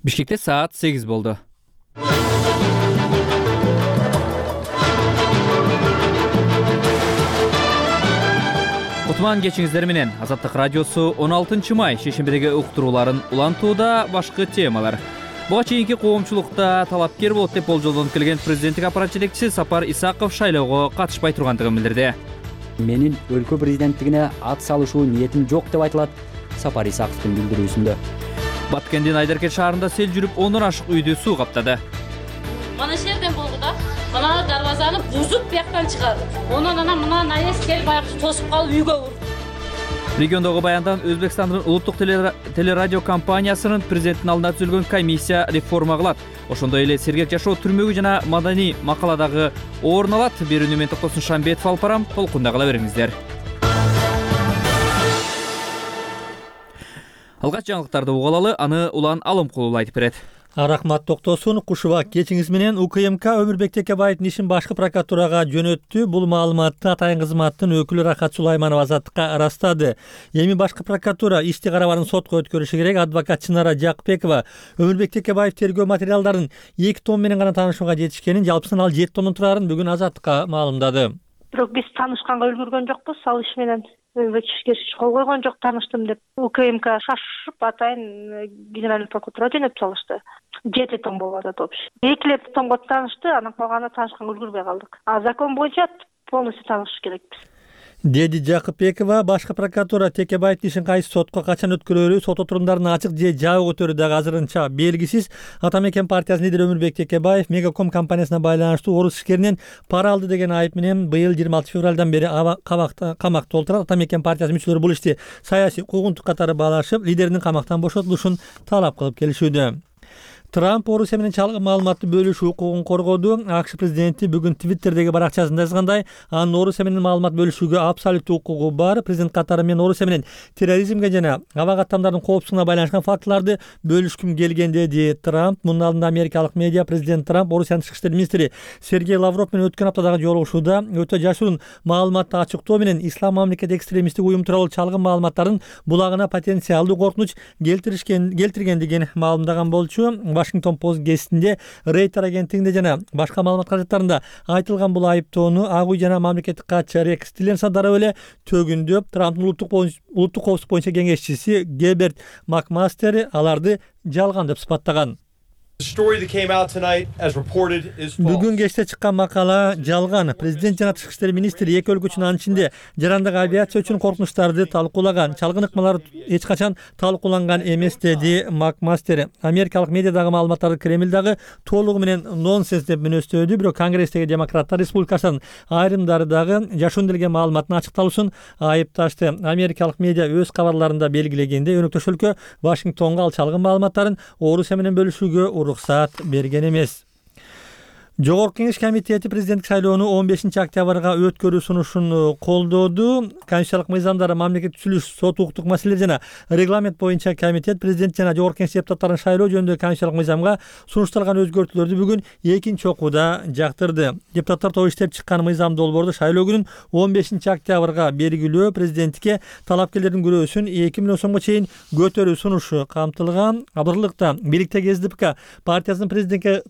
Бишкекте саат 8 болду. Кутман кечиңиздер менен Азаттык радиосу 16 май шейшембидеги уктурууларын улантууда. Башкы темалар. Буга чейинки коомчулукта талапкер болот деп болжолдонуп келген президенттик аппарат жетекчиси Сапар Исаков шайлоого катышпай тургандыгын билдирди. Менин өлкө президенттигине ат салышуу ниетим жок деп айтылат Сапар Исаковдун билдирүүсүндө. Баткендин Айдаркет шаарында сел жүрүп 10 ашык үйдү суу каптады. Мана жерден болду да. Мына дарбазаны бузуп бияктан чыгарды. Онун мына наез келип аяк тосуп калып үйгө урду. Региондогу баяндан Өзбекстандын улуттук телерадио компаниясынын президенттин алдына түзүлгөн комиссия реформа кылат. Ошондой эле сергек жашоо түрмөгү жана маданий макаладагы орун алат. Берүүнү мен Токтосун Шамбетов алып барам. Толкунда кала бериңиздер. Алгач жаңылыктарды угалалы, аны Улан Алымкулов айтып берет. Рахмат Токтосун. Кушуба кечиңиз менен УКМК Өмүрбек Текебаевдин ишин башкы прокуратурага жөнөттү. Бул маалыматты Атайын кызматтын өкүлү Рахат Сулайманова Азаттыкка ырастады. Эми башкы прокуратура ишти карабарын сотко өткөрүшү керек. Адвокат Чынара Жакпекова Өмүрбек Текебаев тергөө материалдарын 2 том менен гана таанышууга жетишкенин, жалпысынан ал 7 томдон турарын бүгүн Азаттыкка маалымдады. Бирок биз таанышканга үлгүргөн жокпуз. Ал иш менен Өмүрбек кол койгон жок, тааныштым деп. УКМК шашып Атайын генеральный прокуратурага жөнөтүп салышты. 7 том болду топ. 2 томго таанышты, анан калганына таанышканга үлгүрбөй калдык. Закон боюнча полностью таанышыш керекпиз, деди Жакпекова. Башкы прокуратура Текебаевдин ишин кайсы сотко качан өткөрөрү, сот отурумдарын ачык же жабык өтөрү дагы азырынча белгисиз. Ата Мекен партиясынын лидери Өмүрбек Текебаев Мегаком компаниясына байланыштуу орус ишкеринен пара алды деген айып менен быйыл 26 февралдан бери камакта отурат. Ата Мекен партиясы мүчөлөрү бул ишти саясий куугунтук катары баалашып, лидеринин камактан бошотулушун талап кылып келишүүдө. Трамп Орусия менен чалгын маалыматты бөлүшүү укугун коргоду. АКШ президенти бүгүн Твиттердеги баракчасында жазгандай, анын Орусия менен маалымат бөлүшүүгө абсолюттуу укугу бар. Президент катары мен Орусия менен терроризмге жана аба каттамдардын коопсуздугуна байланышкан фактыларды бөлүшкүм келген, деди Трамп. Мунун алдында америкалык медиа президент Трамп Орусиянын тышкы иштер министри Сергей Лавров менен өткөн аптадагы жолугушууда өтө жашыруун маалыматты ачыктоо менен ислам мамлекет экстремисттик уюм тууралуу чалгын маалыматтардын булагына потенциалдуу коркунуч келтиргендигин маалымдаган болчу. Washington Post гезитинде, Рейтер агенттигинде жана башка маалымат каражаттарында айтылган бул айыптоону Ак үй жана мамлекеттик катчы Рекс Тиллерсон дароо эле төгүндөп, Трамптын улуттук коопсуздук боюнча кеңешчиси Геберт Макмастер аларды жалган деп сыпаттаган. Бүгүн кечте чыккан макала жалган. Президент жана тышкы иштер министри эки өлкө үчүн, анын ичинде жарандык авиация үчүн коркунучтарды талкуулаган. Чалгын ыкмалар эч качан талкууланган эмес, деди Макмастер. Америкалык медиадагы маалыматтарды Кремль дагы толугу менен нонсенс деп мүнөстөөдү. Бирок Конгресстеги демократтар республикачылардын айрымдары дагы жашуун делген маалыматтын ачыкталуусун айыпташты. Америкалык медиа өз кабарларында белгилегенде, өнөктөш өлкө Вашингтонго ал чалгын маалыматтарын Орусия менен бөлүшүүгө уруксат берген эмес. Жогорку Кеңеш комитети президенттик шайлоону 15 октябрга өткөрүү сунушун колдоду. Конституциялык мыйзамдар, мамлекеттик түзүлүш, сот укуктук маселелер жана регламент боюнча комитет президент жана Жогорку Кеңеш депутаттарын шайлоо жөнүндөгү конституциялык мыйзамга сунушталган өзгөртүүлөрдү бүгүн экинчи окууда жактырды. Депутаттар тобу иштеп чыккан мыйзам долбоорду шайлоо күнүн 15 октябрга бергилөө, президенттикке талапкерлердин күрөөсүн 2 миллион сомго чейин көтөрүү сунушу камтылган. Абырлыкта бийликтеги СДПК партиясынын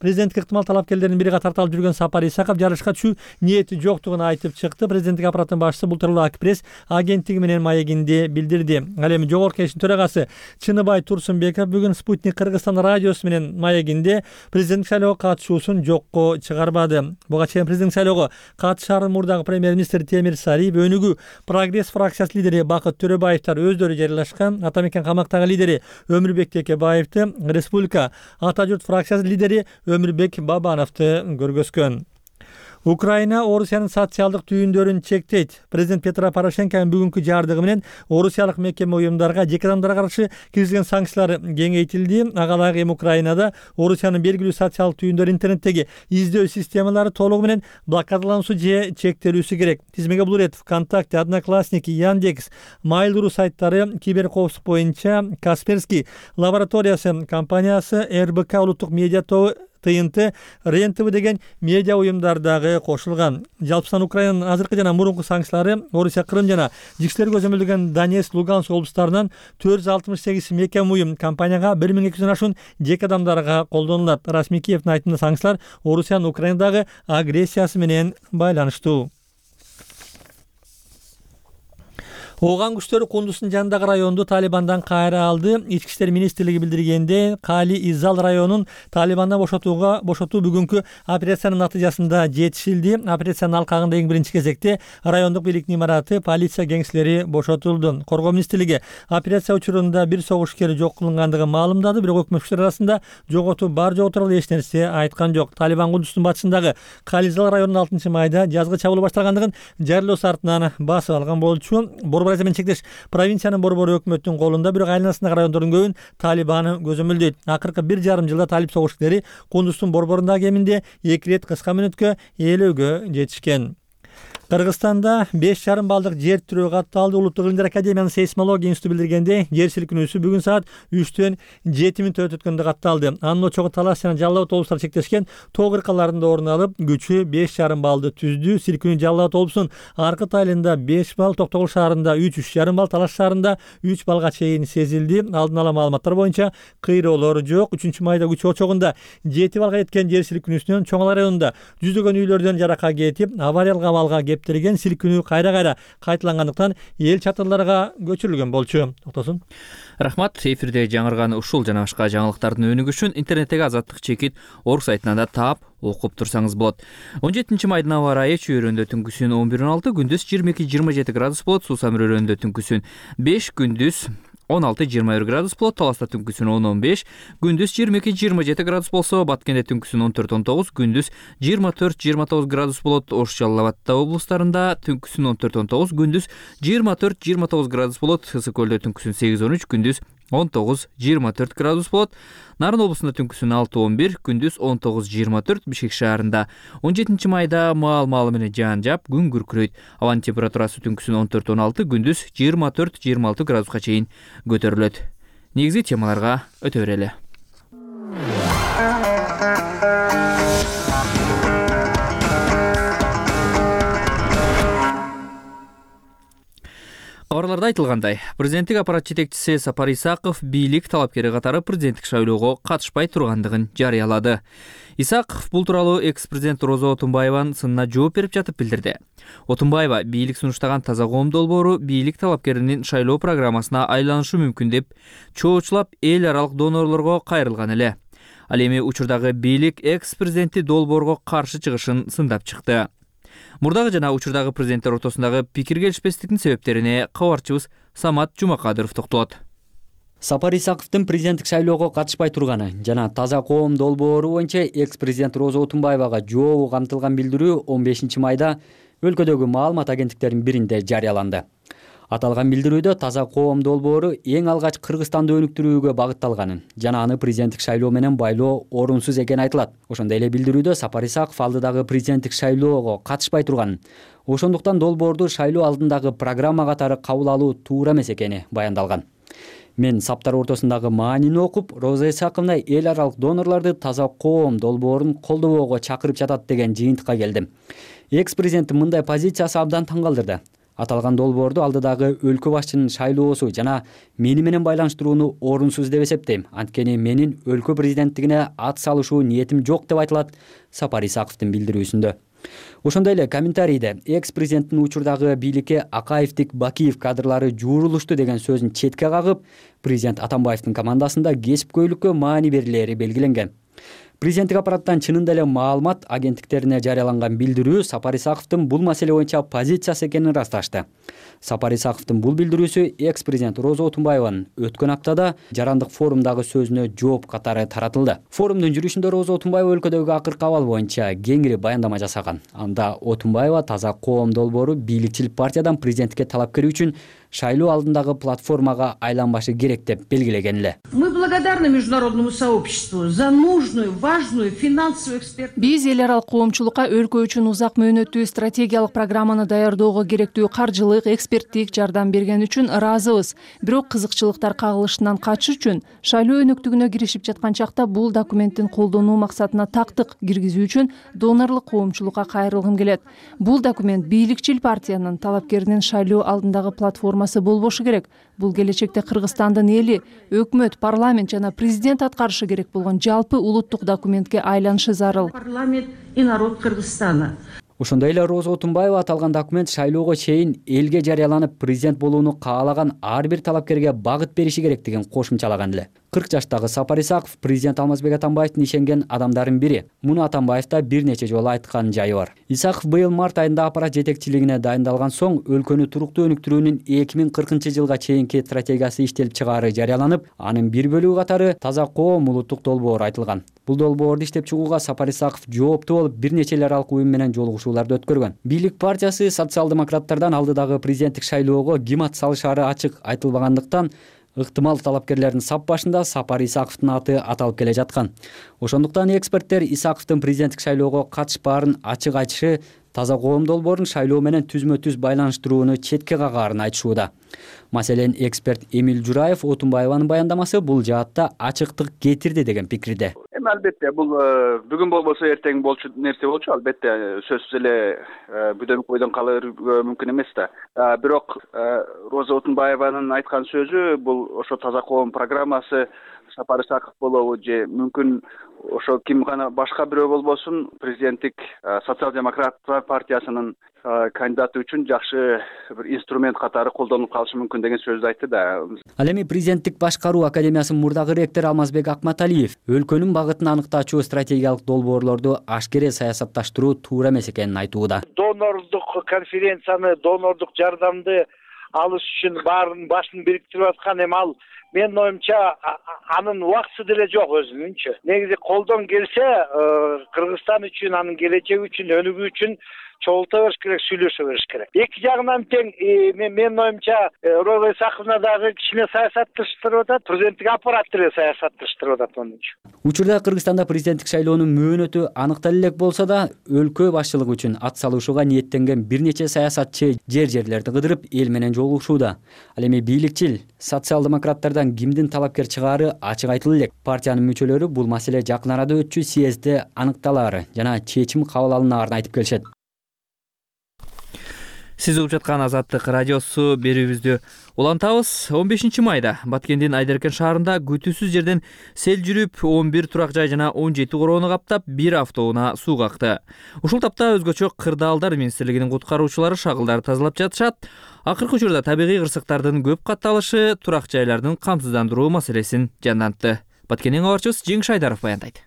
президенттикке ыктымал талапкерлердин бири тарталып жүргөн Сапар Исаков жарышка түшүү ниети жоктугун айтып чыкты. Президенттик аппараттын башчысы бул тууралуу Акпресс агенттиги менен маегинде билдирди. Ал эми Жогорку Кеңештин төрагасы Чыныбай Турсунбеков бүгүн Спутник Кыргызстан радиосу менен маегинде президенттик шайлоого катышуусун жокко чыгарбады. Буга чейин президенттик шайлоого катышаарын мурдагы премьер-министр Темир Сариев, Өнүгүү Прогресс фракциясынын лидери Бакыт Төрөбаевдер өздөрү жарыялашкан. Ата Мекен камактагы лидери Өмүрбек Текебаевди, Республика Ата журт фракциясынын лидери Өмүрбек Бабановду көргөзгөн. Украина Орусиянын социалдык түйүндөрүн чектейт. Президент Петро Порошенконун бүгүнкү жардыгы менен орусиялык мекеме уюмдарга, жеке адамдарга каршы киргизген санкциялар кеңейтилди. Агалайык эми Украинада Орусиянын белгилүү социалдык түйүндөрү интернеттеги издөө системалары толугу менен блокадалануусу же чектелүүсү керек. Тизмеге булур эт ВКонтакте, Одноклассники, Яндекс, Mail.ru сайттары, киберкоопсуздук боюнча Касперский лабораториясы компаниясы, РБК улуттук медиа тобу ТНТ, РЕН-ТВ деген медиа уюмдар дагы кошулган. Жалпысынан Украинанын азыркы жана мурунку санкциялары Орусия, Крым жана жикшелер көзөмөлдөгөн Донецк, Луганск облустарынан 468 мекем уюм компанияга 1200 ашуун жеке адамдарга колдонулат. Расмий Киевдин айтымында санкциялар Орусиянын Украинадагы агрессиясы менен байланыштуу. Ооган күчтөрү Кундуздун жанындагы районду Талибандан кайра алды. Ички иштер министрлиги билдиргенде, Кали Изал районун Талибандан бошотуу бүгүнкү операциянын натыйжасында жетишилди. Операциянын алкагында эң биринчи кезекте райондук бийликтин имараты, полиция кеңселери бошотулду. Коргоо министрлиги операция учурунда бир согушкер жок кылынгандыгын маалымдады, бирок өкмөт күчтөр арасында жоготуу бар жогу тууралуу эч нерсе айткан жок. Талибан Кундуздун батышындагы Кали Изал районунун 6-майда жазгы чабуул башталгандыгын жарыялоо артынан басып алган болчу. Борбор менен чектеш провинциянын борбору өкмөттүн колунда, бирок айланасындагы райондордун көбүн Талибан көзөмөлдөйт. Акыркы 1,5 жылда талип согушкерлери Кундуздун борборунда кеминде 2 рет кыска мөөнөткө ээлөөгө жетишкен. Кыргызстанда 5,5 балдык жер тирөө катталды. Улуттук илимдер академиянын сейсмология институту билдиргенде, жер силкинүүсү бүгүн саат 3-төн 7 мүнөт өткөндө катталды. Анын очогу Талас жана Жалал Абад облустары чектешкен тоо кыркаларында орун алып, күчү 5,5 балды түздү. Силкинүү Жалал Абад облусунун аркы тайлында 5 бал, Токтогул шаарында 3,5 бал, Талас шаарында 3 балга чейин сезилди. Алдын ала маалыматтар боюнча кыйроолор жок. 3-майда күч очогунда 7 балга жеткен жер силкинүүсүнөн Чоң Ала районунда жүздөгөн үйлөрдөн жарака кетип, авариялык абалга кептирген. Силкинүү кайра кайталангандыктан эл чатырларга көчүрүлгөн болчу. Токтосун. Рахмат. Эфирде жаңырган ушул жана башка жаңылыктардын өнүгүшүн интернеттеги Азаттык чекит орг сайтынан да таап окуп турсаңыз болот. 17-майдын аба ырайы чөйрөндө түнкүсүн 11-16, күндүз 22-27 градус болот. Суусам районунда түнкүсүн 5, күндүз 16-21 градус болот. Таласта түнкүсүн 10-15, күндүз 22-27 градус болсо, Баткенде түнкүсүн 14-19, күндүз 24-29 градус болот. Ош, Жалал Абадта облустарында түнкүсүн 14-19, күндүз 24-29 градус болот. Ысык көлдө түнкүсүн 8-13, күндүз 19-24 градус болот. Нарын облусунда түнкүсүн 6-11, күндүз 19-24, Бишкек шаарында 17-майда маал менен жаан жаап, күн күркүрөйт. Абанын температурасы түнкүсүн 14-16, күндүз 24-26 градуска чейин көтөрүлөт. Негизги темаларга өтө берели. Кабарларда айтылгандай, президенттик аппарат жетекчиси Сапар Исаков бийлик талапкери катары президенттик шайлоого катышпай тургандыгын жарыялады. Исаков бул тууралуу экс-президент Роза Отунбаеванын сынына жооп берип жатып билдирди. Отунбаева бийлик сунуштаган Таза коом долбоору бийлик талапкеринин шайлоо программасына айланышы мүмкүн деп чоочулап эл аралык донорлорго кайрылган эле. Ал эми учурдагы бийлик экс-президенти долбоорго каршы чыгышын сындап чыкты. Мурдагы жана учурдагы президенттер ортосундагы пикир келишпестиктин себептерине кабарчыбыз Самат Жумакадыров токтолот. Сапар Исаковдун президенттик шайлоого катышпай турганы жана Таза коом долбоору боюнча экс-президент Роза Отунбаевага жообу камтылган билдирүү 15-майда өлкөдөгү маалымат агенттиктеринин биринде жарыяланды. Аталган билдирүүдө Таза коом долбоору эң алгач Кыргызстанды өнүктүрүүгө багытталганын жана аны президенттик шайлоо менен байлоо орунсуз экени айтылат. Ошондой эле билдирүүдө Сапар Исаков алдыдагы президенттик шайлоого катышпай турганын, ошондуктан долбоорду шайлоо алдындагы программа катары кабыл алуу туура эмес экени баяндалган. Мен саптар ортосундагы маанини окуп, Роза Исаковна эл аралык донорлорду Таза коом долбоорун колдобоого чакырып жатат деген жыйынтыкка келдим. Экс-президенттин мындай позициясы абдан таң калтырды. Аталган долбоорду алдыдагы өлкө башчынын шайлоосу жана мени менен байланыштырууну орунсуз деп эсептейм. Анткени менин өлкө президенттигине ат салышуу ниетим жок деп айтылат Сапар Исаковдун билдирүүсүндө. Ошондой эле комментарийде экс-президенттин учурдагы бийликке Акаевдик Бакиев кадрлары жуурулушту деген сөзүн четке кагып, президент Атамбаевдин командасында кесипкөйлүккө маани берилери белгиленген. Президенттик аппараттан чынында эле маалымат агенттиктерине жарыяланган билдирүү Сапар Исаковдун бул маселе боюнча позициясы экенин ырасташты. Сапар Исаковдун бул билдирүүсү экс-президент Роза Отунбаеванын өткөн аптада жарандык форумдагы сөзүнө жооп катары таратылды. Форумдун жүрүшүндө Роза Отунбаева өлкөдөгү акыркы абал боюнча кеңири баяндама жасаган. Анда Отунбаева Таза коом долбоору бийликчил партиядан президенттикке талапкер үчүн шайлоо алдындагы платформага айланбашы керек деп белгилеген эле. Мы благодарны международному сообществу за нужную, важную финансовую экспертизу. Биз эл аралык коомчулукка өлкө үчүн узак мөөнөттүү стратегиялык программаны даярдоого керектүү каржылык, эксперттик жардам берген үчүн ыраазыбыз. Бирок кызыкчылыктар кагылышынан качыш үчүн шайлоо өнөктүгүнө киришип жаткан чакта бул документтин колдонуу максатына тактык киргизүү үчүн донорлук коомчулукка кайрылгым келет. Бул документ бийликчил партиянын талапкеринин шайлоо алдындагы платформасы болбошу керек. Бул келечекте Кыргызстандын эли, өкмөт, парламент жана президент аткарышы керек болгон жалпы улуттук документке айланышы зарыл. Парламент и народ Кыргызстана. Ошондой эле Роза Отунбаева аталган документ шайлоого чейин элге жарыяланып президент болууну каалаган ар бир талапкерге багыт бериши керектигин кошумчалаган эле. 40 жаштагы Сапар Исаков президент Алмазбек Атамбаевдин ишенген адамдардын бири. Муну Атамбаев да бир нече жолу айткан жайы бар. Исаков быйыл март айында аппарат жетекчилигине дайындалган соң өлкөнү туруктуу өнүктүрүүнүн 2040-жылга чейинки стратегиясы иштелип чыгаары жарыяланып, анын бир бөлүгү катары таза коом улуттук долбоор айтылган. Бул долбоорду иштеп чыгууга Сапар Исаков жооптуу болуп, бир нече эл аралык уюм менен жолугушууларды өткөргөн. Бийлик партиясы социал-демократтардан алдыдагы президенттик шайлоого ким ат салышаары ачык айтылбагандыктан ыктымал талапкерлердин сап башында Сапар Исаковдун аты аталып келе жаткан. Ошондуктан эксперттер Исаковдун президенттик шайлоого катышпаарын ачык айтышы таза коом долбоорун шайлоо менен түзмө-түз байланыштырууну четке кагаарын айтышууда. Маселен, эксперт Эмил Жураев Отунбаеванын баяндамасы бул жаатта ачыктык кетирди деген пикирде. Албетте, бул бүгүн болбосо эртең болчу нерсе болчу. Албетте, сөзсүз эле бүдөн койдон калырга мүмкүн эмес да. Бирок Роза Отунбаеванын айткан сөзү бул ошо таза коом программасы Сапар Исаков болобу же мүмкүн ошо ким гана башка бирөө болбосун президенттик социал-демократтар партиясынын кандидаты үчүн жакшы бир инструмент катары колдонулуп калышы мүмкүн деген сөздү айтты да. Ал эми президенттик башкаруу академиясынын мурдагы ректору Алмазбек Акматалиев өлкөнүн багытын аныктаачу стратегиялык долбоорлорду ашкере саясатташтыруу туура эмес экенин айтууда. Донорлук конференцияны, донорлук жардамды алыш үчүн баарын башын бириктирип аткан эми ал менин оюмча анын убактысы деле жок өзүнүнчү. Негизи колдон келсе Кыргызстан үчүн, анын келечеги үчүн, өнүгүү үчүн чогулта бериш керек, сүйлөшө бериш керек. Эки жагынан тең менин оюмча Роза Исаковна дагы кичине саясатташтырып атат, президенттик аппарат деле саясатташтырып атат онунчу. Учурда Кыргызстанда президенттик шайлоонун мөөнөтү аныктала элек болсо да, өлкө башчылыгы үчүн ат салышууга ниеттенген бир нече саясатчы жерлерди кыдырып эл менен жолугушууда. Ал эми бийликчил социал-демократтардан кимдин талапкер чыгаары ачык айтыла элек. Партиянын мүчөлөрү бул маселе жакын арада өтчү съездде аныкталаары жана чечим кабыл алынаарын айтып келишет. Сиз угуп жаткан Азаттык радиосу берүүбүздү улантабыз. 15 майда Баткендин Айдеркен шаарында күтүүсүз жерден сел жүрүп, 11 турак жай жана 17 короону каптап, бир автоунаа сууга акты. Ушул тапта өзгөчө Кырдаалдар министрлигинин куткаруучулары шагылдарды тазалап жатышат. Акыркы учурда табигый кырсыктардын көп катталышы турак жайлардын камсыздандыруу маселесин жандантты. Баткендин кабарчыбыз Жеңиш Айдаров баяндайт.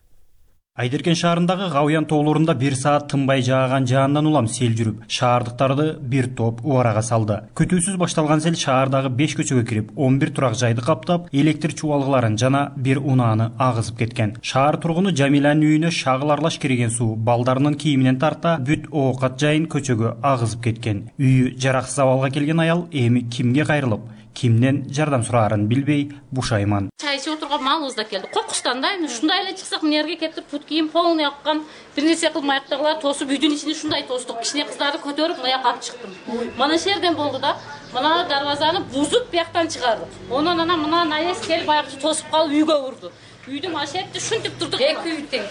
Айдеркен шаарындагы Гавыян тоолорунда 1 саат тынбай жааган жаандан улам сел жүрүп, шаардыктарды бир топ убарага салды. Күтүүсүз башталган сел шаардагы 5 көчөгө кирип, 11 турак жайды каптап, электр чубалгыларын жана бир унааны агызып кеткен. Шаар тургуну Жамиланын үйүнө шагыл аралаш кирген суу балдарынын кийиминен тарта бүт оокат жайын көчөгө агызып кеткен. Үйү жараксыз абалга келген аял эми кимге кайрылып, кимден жардам сураарын билбей бушайман. Чай ичип отурган малыбыз да келди. Коркучтан да эми ушундай эле чыксак нерге кетип, пут кийим полный аккан, бир нерсе кылмай аяктагылар тосуп үйдүн ичине шундай тостук. Кичине кыздарды көтөрүп мына жака алып чыктым. Мына иш жерден болду да. Мына дарбазаны бузуп бияктан чыгардык. Онан ана мына наез келип баягы тосуп калып үйгө урду. Үйдүн ашетти шунтип турдук. Эки үй тең.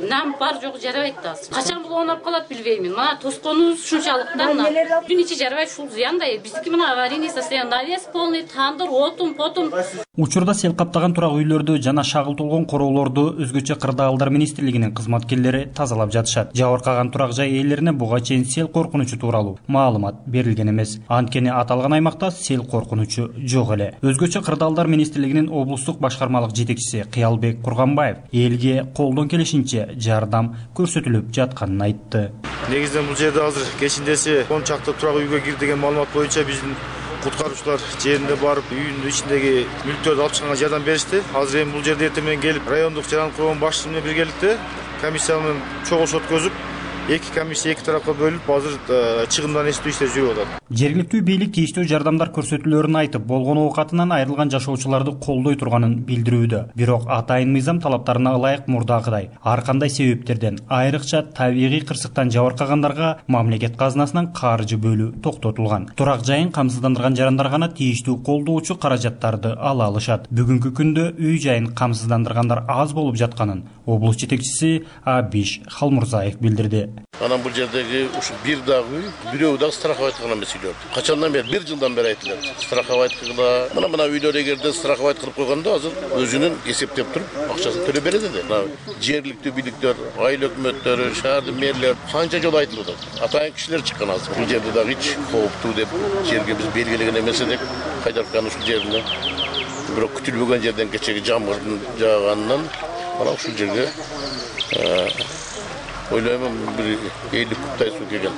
Нам бар жогу жарабайт да. Качан бул оонап калат билбеймин. Мына тосконубуз ушунчалык да. Үйдүн ичи жарабай ушул зыяндай. Биздики мына аварийный состояние. Навес полный, тандыр, отун, потун. Учурда сел каптаган турак үйлөрдү жана шагыл толгон короолорду өзгөчө Кырдаалдар министрлигинин кызматкерлери тазалап жатышат. Жабыркаган турак жай ээлерине буга чейин сел коркунучу тууралуу маалымат берилген эмес. Анткени аталган аймакта сел коркунучу жок эле. Өзгөчө Кырдаалдар министрлигинин облустук башкармалык жетекчиси Кыялбек Курганбаев элге колдон келишинче жардам көрсөтүлүп жатканын айтты. Негизинен бул жерде азыр кечиндеси 10 чакты турак үйгө кирди деген маалымат боюнча биздин куткаруучулар жерине барып үйүнүн ичиндеги мүлктөрдү алып чыкканга жардам беришти. Азыр эми бул жерде эртең менен келип райондук жаран курман башчысы менен биргеликте комиссия менен чогулуш өткөзүп, эки комиссия эки тарапка бөлүнүп азыр чыгымдан эстөө иштери жүрүп атат. Жергиликтүү бийлик тийиштүү жардамдар көрсөтүүлөрүн айтып, болгон оокатынан айрылган жашоочуларды колдой турганын билдирүүдө. Бирок атайын мыйзам талаптарына ылайык мурдагыдай ар кандай себептерден, айрыкча табигый кырсыктан жабыркагандарга мамлекет казынасынан каржы бөлүү токтотулган. Турак жайын камсыздандырган жарандар гана тийиштүү колдоочу каражаттарды ала алышат. Бүгүнкү күндө үй жайын камсыздандыргандар аз болуп жатканын облус жетекчиси Абиш Халмурзаев билдирди. Анан бул жердеги ушу бир дагы үй, бирөө дагы страховать эмес үйлөр. Качандан бери 1 жылдан бери айтылат. Страховать кылгыла. Мына үйлөр эгерде страховать кылып койгондо азыр өзүнүн эсептеп туруп акчасын төлөп берет эди. Жергиликтүү бийликтер, айыл өкмөттөрү, шаардын мэрлери канча жолу айтылып атат. Атайын кишилер чыккан азыр. Бул жерде дагы эч кооптуу деп жерге биз белгилеген эмес едик. Кайдаркан ушул жеринде. Бирок күтүлбөгөн жерден кечеги жамгырдын жааганынан мына ушул жерге ойлойм бир 50 кубтай суу келген.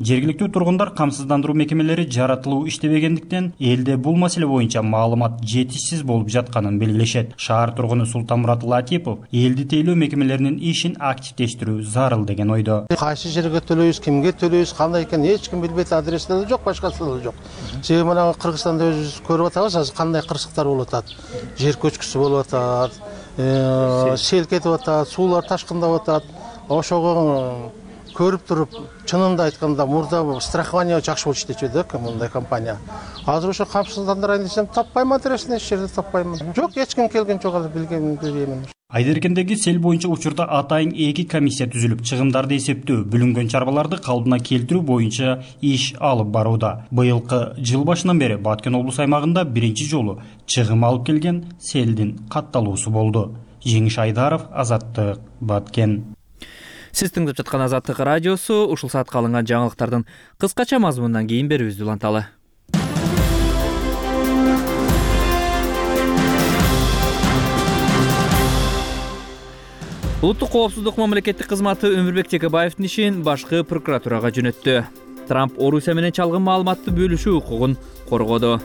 Жергиликтүү тургундар камсыздандыруу мекемелери жаратылуу иштебегендиктен элде бул маселе боюнча маалымат жетишсиз болуп жатканын белгилешет. Шаар тургуну Султанмурат Латипов элди тейлөө мекемелеринин ишин активдештирүү зарыл деген ойдо. Кайсы жерге төлөйбүз, кимге төлөйбүз, кандай экен эч ким билбейт, адреси да жок, башкасы да жок. Себеби мына Кыргызстанда өзүбүз көрүп атабыз, азыр кандай кырсыктар болуп атат. Жер көчкүсү болуп атат, сел кетип атат, суулар ташкындап атат. Ошого көрүп туруп, чынында айтканда мурда страхование жакшы болуп иштечү эди мындай компания. Азыр ошо камсыздандырайын десем, таппайм, адресин эч жерде таппайм. Жок, эч ким келген жок, азыр билбейм. Айдеркендеги сел боюнча учурда атайын 2 комиссия түзүлүп, чыгымдарды эсептөө, бүлүнгөн чарбаларды калыбына келтирүү боюнча иш алып барууда. Быйылкы жыл башынан бери Баткен облус аймагында биринчи жолу чыгым алып келген селдин катталуусу болду. Жеңиш Айдаров, Азаттык, Баткен. Сиз тыңдап жаткан Азаттык радиосу, ушул саатка алынган жаңылыктардын кыскача мазмунунан кийин берүүбүздү уланталы. Улуттук коопсуздук мамлекеттик кызматы Өмүрбек Текебаевдин ишин башкы прокуратурага жөнөттү. Трамп Орусия менен чалгын маалыматты бөлүшүү укугун коргоду.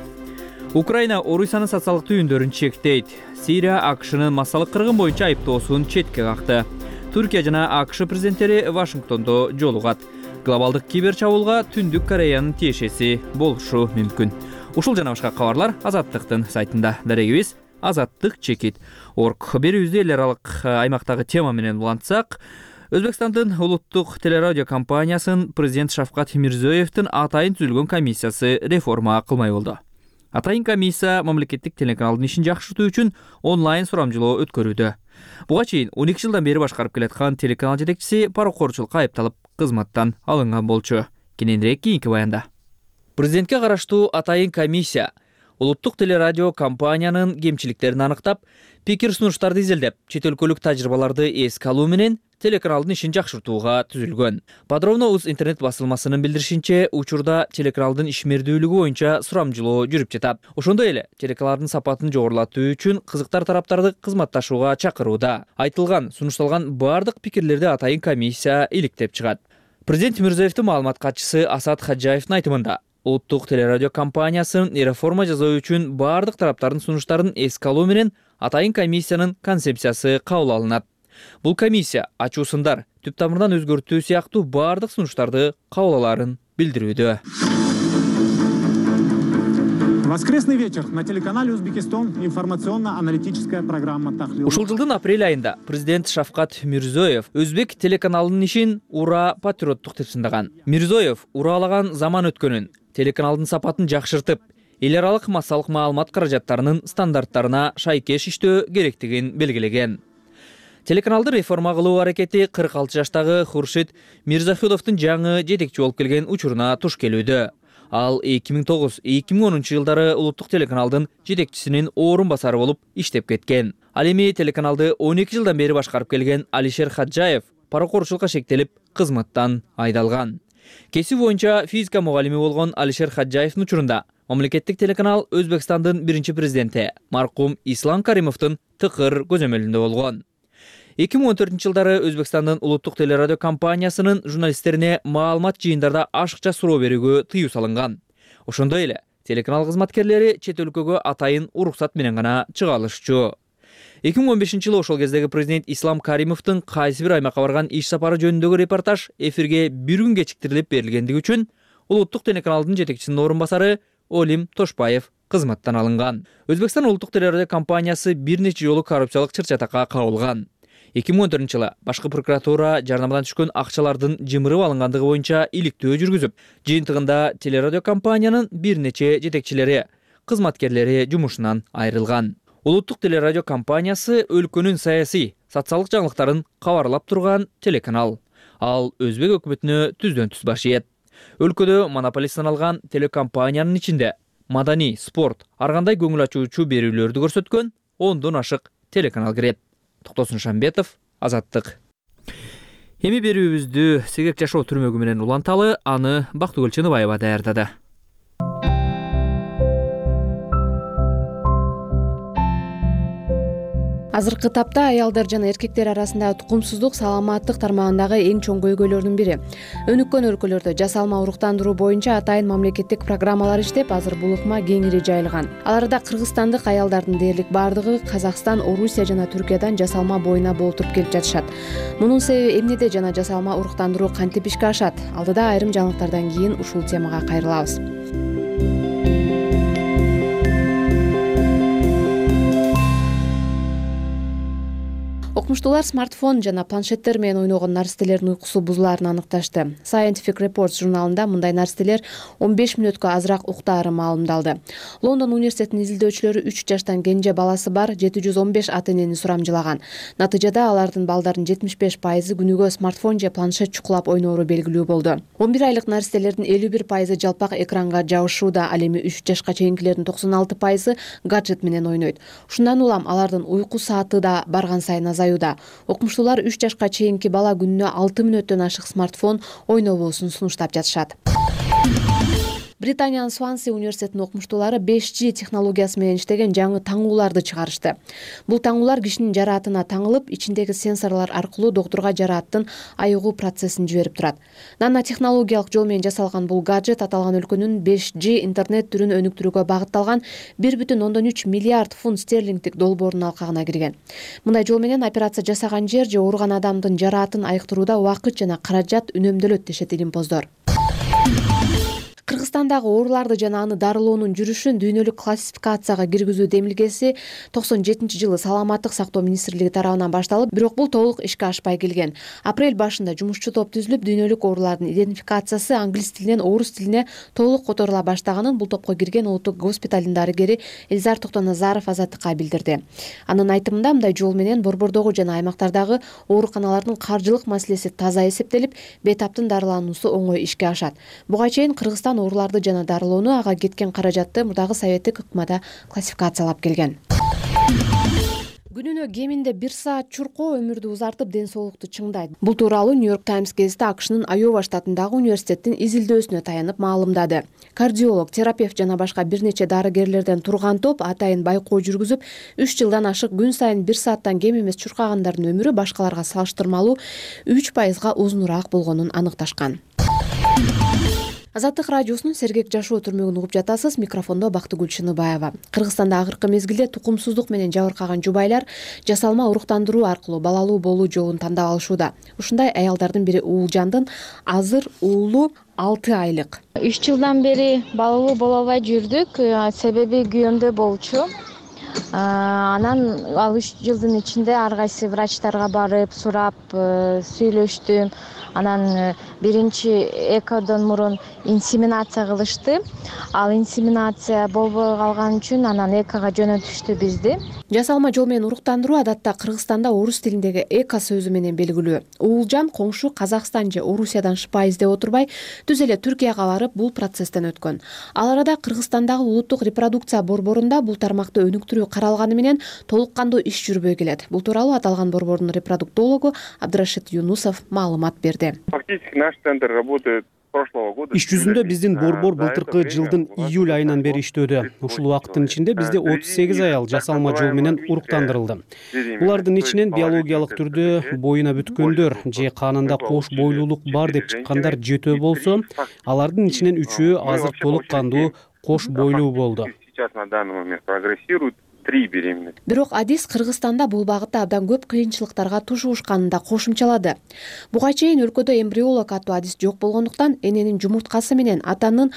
Украина Орусиянын социалдык түйүндөрүн чектейт. Сирия АКШнын массалык кыргын боюнча айыптоосун четке какты. Түркия жана АКШ президенттери Вашингтондо жолугат. Глобалдык кибер чабуулга Түндүк Кореянын тиешеси болушу мүмкүн. Ушул жана башка кабарлар Азаттыктын сайтында. Дарегибиз azattik.org. Берүүбүздү эл аралык аймактагы тема менен улантсак, Өзбекстандын улуттук телерадио компаниясын президент Шавкат Мирзиёевдин атайын түзүлгөн комиссиясы реформа кылмай болду. Атайын комиссия мамлекеттик телеканалдын ишин жакшыртуу үчүн онлайн сурамжылоо өткөрүүдө. Буга чейин 12 жылдан бери башкарып келаткан телеканал жетекчиси паракорчулукка айыпталып, кызматтан алынган болчу. Кененирээк кийинки баянда. Президентке караштуу атайын комиссия улуттук телерадио компаниянын кемчиликтерин аныктап, пикир сунуштарды изилдеп, чет өлкөлүк тажрыйбаларды эске алуу менен телеканалдын ишин жакшыртууга түзүлгөн. Подробно УЗ интернет басылмасынын билдиришинче, учурда телеканалдын ишмердүүлүгү боюнча сурамжылоо жүрүп жатат. Ошондой эле телеканалдын сапатын жогорулатуу үчүн кызыктар тараптарды кызматташууга чакырууда. Айтылган, сунушталган бардык пикирлерди атайын комиссия иликтеп чыгат. Президент Мирзиёевдин маалымат катчысы Асад Хаджаевдин айтымында, улуттук телерадио компаниясын реформа жасоо үчүн бардык тараптардын сунуштарын эске алуу менен атайын комиссиянын концепциясы кабыл алынат. Бул комиссия ачуусундар, түп тамырдан өзгөртүү сыяктуу бардык сунуштарды кабыл аларын билдирүүдө. Воскресный вечер на телеканале Узбекистан информационно-аналитическая программа Тахлил. Ушул жылдын апрель айында президент Шавкат Мирзиёев Өзбек телеканалынын ишин ура патриоттук деп сындаган. Мирзиёев ураалаган заман өткөнүн, телеканалдын сапатын жакшыртып, эл аралык массалык маалымат каражаттарынын стандарттарына шайкеш иштөө керектигин белгилеген. Телеканалды реформа кылуу аракети 46 жаштагы Хуршид Мирзахудовдун жаңы жетекчи болуп келген учуруна туш келүүдө. Ал 2009-2010 жылдары улуттук телеканалдын жетекчисинин орун басары болуп иштеп кеткен. Ал эми телеканалды 12 жылдан бери башкарып келген Алишер Хаджаев паракорчулукка шектелип, кызматтан айдалган. Кесип боюнча физика мугалими болгон Алишер Хаджаевдин учурунда мамлекеттик телеканал Өзбекстандын биринчи президенти маркум Ислам Каримовдун тыкыр көзөмөлүндө болгон. 2014 жылдары Өзбекстандын улуттук телерадио компаниясынын журналисттерине маалымат жыйындарда ашыкча суроо берүүгө тыюу салынган. Ошондой эле телеканал кызматкерлери чет өлкөгө атайын уруксат менен гана чыга алышчу. 2015-жылы ошол кездеги президент Ислам Каримовдун кайсы бир аймакка барган иш сапары жөнүндөгү репортаж эфирге бир күн кечиктирилип берилгендиги үчүн улуттук телеканалдын жетекчисинин орун басары Олим Тошбаев кызматтан алынган. Өзбекстан улуттук телерадио компаниясы бир нече жолу коррупциялык чыр-чатакка кабылган. 2014-жылы башкы прокуратура жарнамадан түшкөн акчалардын жымырып алынгандыгы боюнча иликтөө жүргүзүп, жыйынтыгында телерадио компаниянын бир нече жетекчилери, кызматкерлери жумушунан айрылган. Улуттук телерадио компаниясы өлкөнүн саясий, социалдык жаңылыктарын кабарлап турган телеканал. Ал өзбек өкмөтүнө түздөн түз баш ийет. Өлкөдө монополист саналган телекомпаниянын ичинде маданий, спорт, ар кандай көңүл ачуучу берүүлөрдү көрсөткөн 10дон ашык телеканал кирет. Токтосун Шамбетов, Азаттык. Эми берүүбүздү Сегек жашоо түрмөгү менен уланталы, аны Бактыгүл Чыныбаева даярдады. Азыркы тапта аялдар жана эркектер арасындагы тукумсуздук саламаттык тармагындагы эң чоң көйгөйлөрдүн бири. Өнүккөн өлкөлөрдө жасалма уруктандыруу боюнча атайын мамлекеттик программалар иштеп, азыр бул ыкма кеңири жайылган. Аларда кыргызстандык аялдардын дээрлик бардыгы Казакстан, Орусия жана Түркиядан жасалма боюна болтуруп келип жатышат. Мунун себеби эмнеде жана жасалма уруктандыруу кантип ишке ашат? Алдыда айрым жаңылыктардан кийин ушул темага кайрылабыз. Окумуштуулар смартфон жана планшеттер менен ойногон наристелердин уйкусу бузулаарын аныкташты. Scientific Reports журналында мындай наристелер 15 мүнөткө азыраак уктаары маалымдалды. Лондон университетинин изилдөөчүлөрү 3 жаштан кенже баласы бар 715 ата-энени сурамжылаган. Натыйжада алардын балдардын 75% күнүгө смартфон же планшет чукулап ойноору белгилүү болду. 11 айлык наристелердин 51% жалпак экранга жабышууда, ал эми 3 жашка чейинкилердин 96% гаджет менен ойнойт. Ушундан улам алардын уйку сааты да барган сайын азаюуда. Окумуштуулар 3 жашка чейинки бала күнүнө 6 мүнөттөн ашык смартфон ойнобосун сунуштап жатышат. Британиянын Сванси университетинин окумуштуулары 5G технологиясы менен иштеген жаңы таңууларды чыгарышты. Бул таңуулар кишинин жараатына таңылып, ичиндеги сенсорлор аркылуу доктурга жарааттын айыгуу процессин жиберип турат. Нано технологиялык жол менен жасалган бул гаджет аталган өлкөнүн 5G интернет түрүн өнүктүрүүгө багытталган 1,3 миллиард фунт стерлингдик долбоордун алкагына кирген. Мындай жол менен операция жасаган жер же ооруган адамдын жараатын айыктырууда убакыт жана каражат үнөмдөлөт дешет илимпоздор. Кыргызстандагы ооруларды жана аны дарылоонун жүрүшүн дүйнөлүк классификацияга киргизүү демилгеси 97-жылы Саламаттык сактоо министрлиги тарабынан башталып, бирок бул толук ишке ашпай келген. Апрель башында жумушчу топ түзүлүп, дүйнөлүк оорулардын идентификациясы англис тилинен орус тилине толук которула баштаганын бул топко кирген улуттук госпиталдын дарыгери Элзар Токтоназаров Азаттыкка билдирди. Анын айтымында, мындай жол менен борбордогу жана аймактардагы ооруканалардын каржылык маселеси таза эсептелип, бейтаптын дарылануусу оңой ишке ашат. Буга чейин Кыргызстан ооруларды жана дарылоону, ага кеткен каражатты мурдагы советтик ыкмада классификациялап келген. Күнүнө кеминде 1 саат чуркоо өмүрдү узартып, ден соолукту чыңдайт. Бул тууралуу Нью-Йорк Таймс гезити АКШнын Айова штатындагы университеттин изилдөөсүнө таянып маалымдады. Кардиолог, терапевт жана башка бир нече дарыгерлерден турган топ атайын байкоо жүргүзүп, 3 жылдан ашык күн сайын 1 сааттан кем эмес чуркагандардын өмүрү башкаларга салыштырмалуу 3%га узунураак болгонун аныкташкан. Азаттык радиосунун Сергек жашоо түрмөгүн угуп жатасыз. Микрофондо Бактыгүл Чыныбаева. Кыргызстанда акыркы мезгилде тукумсуздук менен жабыркаган жубайлар жасалма уруктандыруу аркылуу балалуу болуу жолун тандап алышууда. Ушундай аялдардын бири Уулжандын азыр уулу 6 айлык. 3 жылдан бери балалуу боло албай жүрдүк. Себеби күйөөмдө болчу. Анан ал 3 жылдын ичинде ар кайсы врачтарга барып, сурап, сүйлөштүм. Анан биринчи экодон мурун инсеминация кылышты. Ал инсеминация болбой калган үчүн анан экага жөнөтүштү бизди. Жасалма жол менен уруктандыруу адатта Кыргызстанда орус тилиндеги эко сөзү менен белгилүү. Уулжан коңшу Казакстан же Орусиядан шыпа издеп отурбай, түз эле Түркияга барып бул процесстен өткөн. Ал арада Кыргызстандагы улуттук репродукция борборунда бул тармакты өнүктүрүү каралганы менен толук кандуу иш жүрбөй келет. Бул тууралуу аталган борбордун репродуктологу Абдрашид Юнусов маалымат берди. Фактически наш центр работает прошлого года. Иш жүзүндө биздин борбор былтыркы жылдын июль айынан бери иштөөдө. Ушул убакыттын ичинде бизде 38 аял жасалма жол менен уруктандырылды. Булардын ичинен биологиялык түрдө боюна бүткөндөр же канында кош бойлуулук бар деп чыккандар 7 болсо, алардын ичинен 3-өө азыр толук кандуу кош бойлуу болду. Сейчас на данный момент прогрессируют 3 беременности. Бирок адис Кыргызстанда бул багытта абдан көп кыйынчылыктарга тушуушканын да кошумчалады. Буга чейин өлкөдө эмбриолог аттуу адис жок болгондуктан эненин жумурткасы менен атанын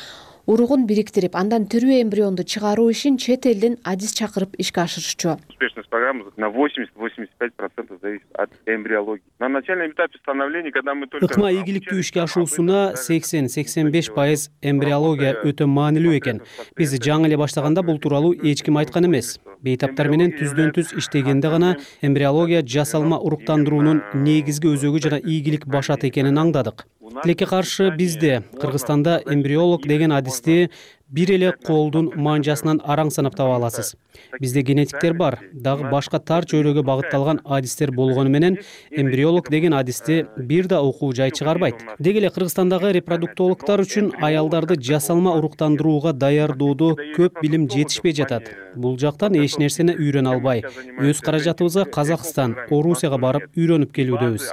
уругун бириктирип, андан тирүү эмбрионду чыгаруу ишин чет элден адис чакырып ишке ашырышчу. Успешность программы на 80-85% зависит от эмбриологии. На начальном этапе становления, когда мы только ыкма ийгиликтүү ишке ашуусуна 80-85% эмбриология өтө маанилүү экен. Биз жаңы эле баштаганда бул тууралуу эч ким айткан эмес. Бейтаптар менен түздөн түз иштегенде гана эмбриология жасалма уруктандыруунун негизги өзөгү жана ийгилик башат экенин аңдадык. Тилекке каршы бизде Кыргызстанда эмбриолог деген адисти бир эле колдун манжасынан араң санап таба аласыз. Бизде генетиктер бар, дагы башка тар чөйрөгө багытталган адистер болгону менен эмбриолог деген адисти бир да окуу жай чыгарбайт. Деги эле Кыргызстандагы репродуктологдор үчүн аялдарды жасалма уруктандырууга даярдоодо көп билим жетишпей жатат. Бул жактан эч нерсени үйрөнө албай, өз каражатыбызга Казакстан, Орусияга барып үйрөнүп келүүдөбүз.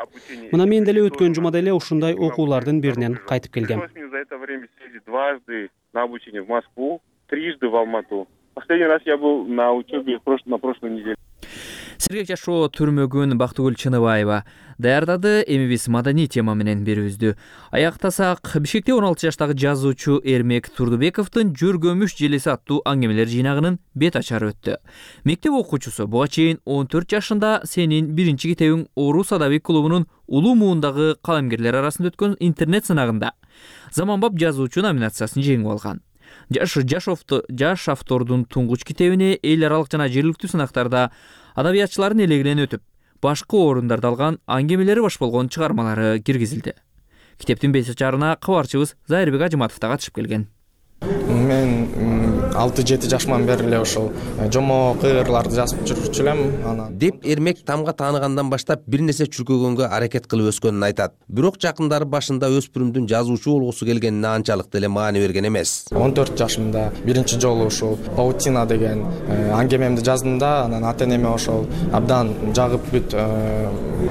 Мына мен деле өткөн жумада эле ушундай окуулардын биринен кайтып келгем. Дважды на обучение в Москву, трижды в Алмату. Последний раз я был на учебе на прошлой неделе. Сергек жашоо түрмөгүн Бактыгүл Чыныбаева даярдады. Эми биз маданий тема менен берүүбүздү аяктасак. Бишкекте 16 жаштагы жазуучу Эрмек Турдубековдун Жүргөмүш желеси аттуу аңгемелер жыйнагынын бет ачары өттү. Мектеп окуучусу буга чейин 14 жашында Сенин биринчи китебиң Орус адабий клубунун улуу муундагы калемгерлер арасында өткөн интернет сынагында заманбап жазуучу номинациясын жеңип алган. Жаш автордун туңгуч китебине эл аралык жана жергиликтүү сынактарда адабиятчылардын элегинен өтүп, башкы орундарда алган аңгемелери баш болгон чыгармалары киргизилди. Китептин бет ачарына кабарчыбыз Зайырбек Ажыматов да катышып келген. Мен 6-7 жашыман бери эле ошол жомок ырларды жазып жүрчү элем. Деп Эрмек тамга тааныгандан баштап бир нерсе чүркөгөнгө аракет кылып өскөнүн айтат. Бирок жакындары башында өспүрүмдүн жазуучу болгусу келгенине анчалык деле маани берген эмес. 14 жашымда биринчи жолу ушул Паутина деген аңгемемди жаздым да, анан ата-энеме ошол абдан жагып бүт,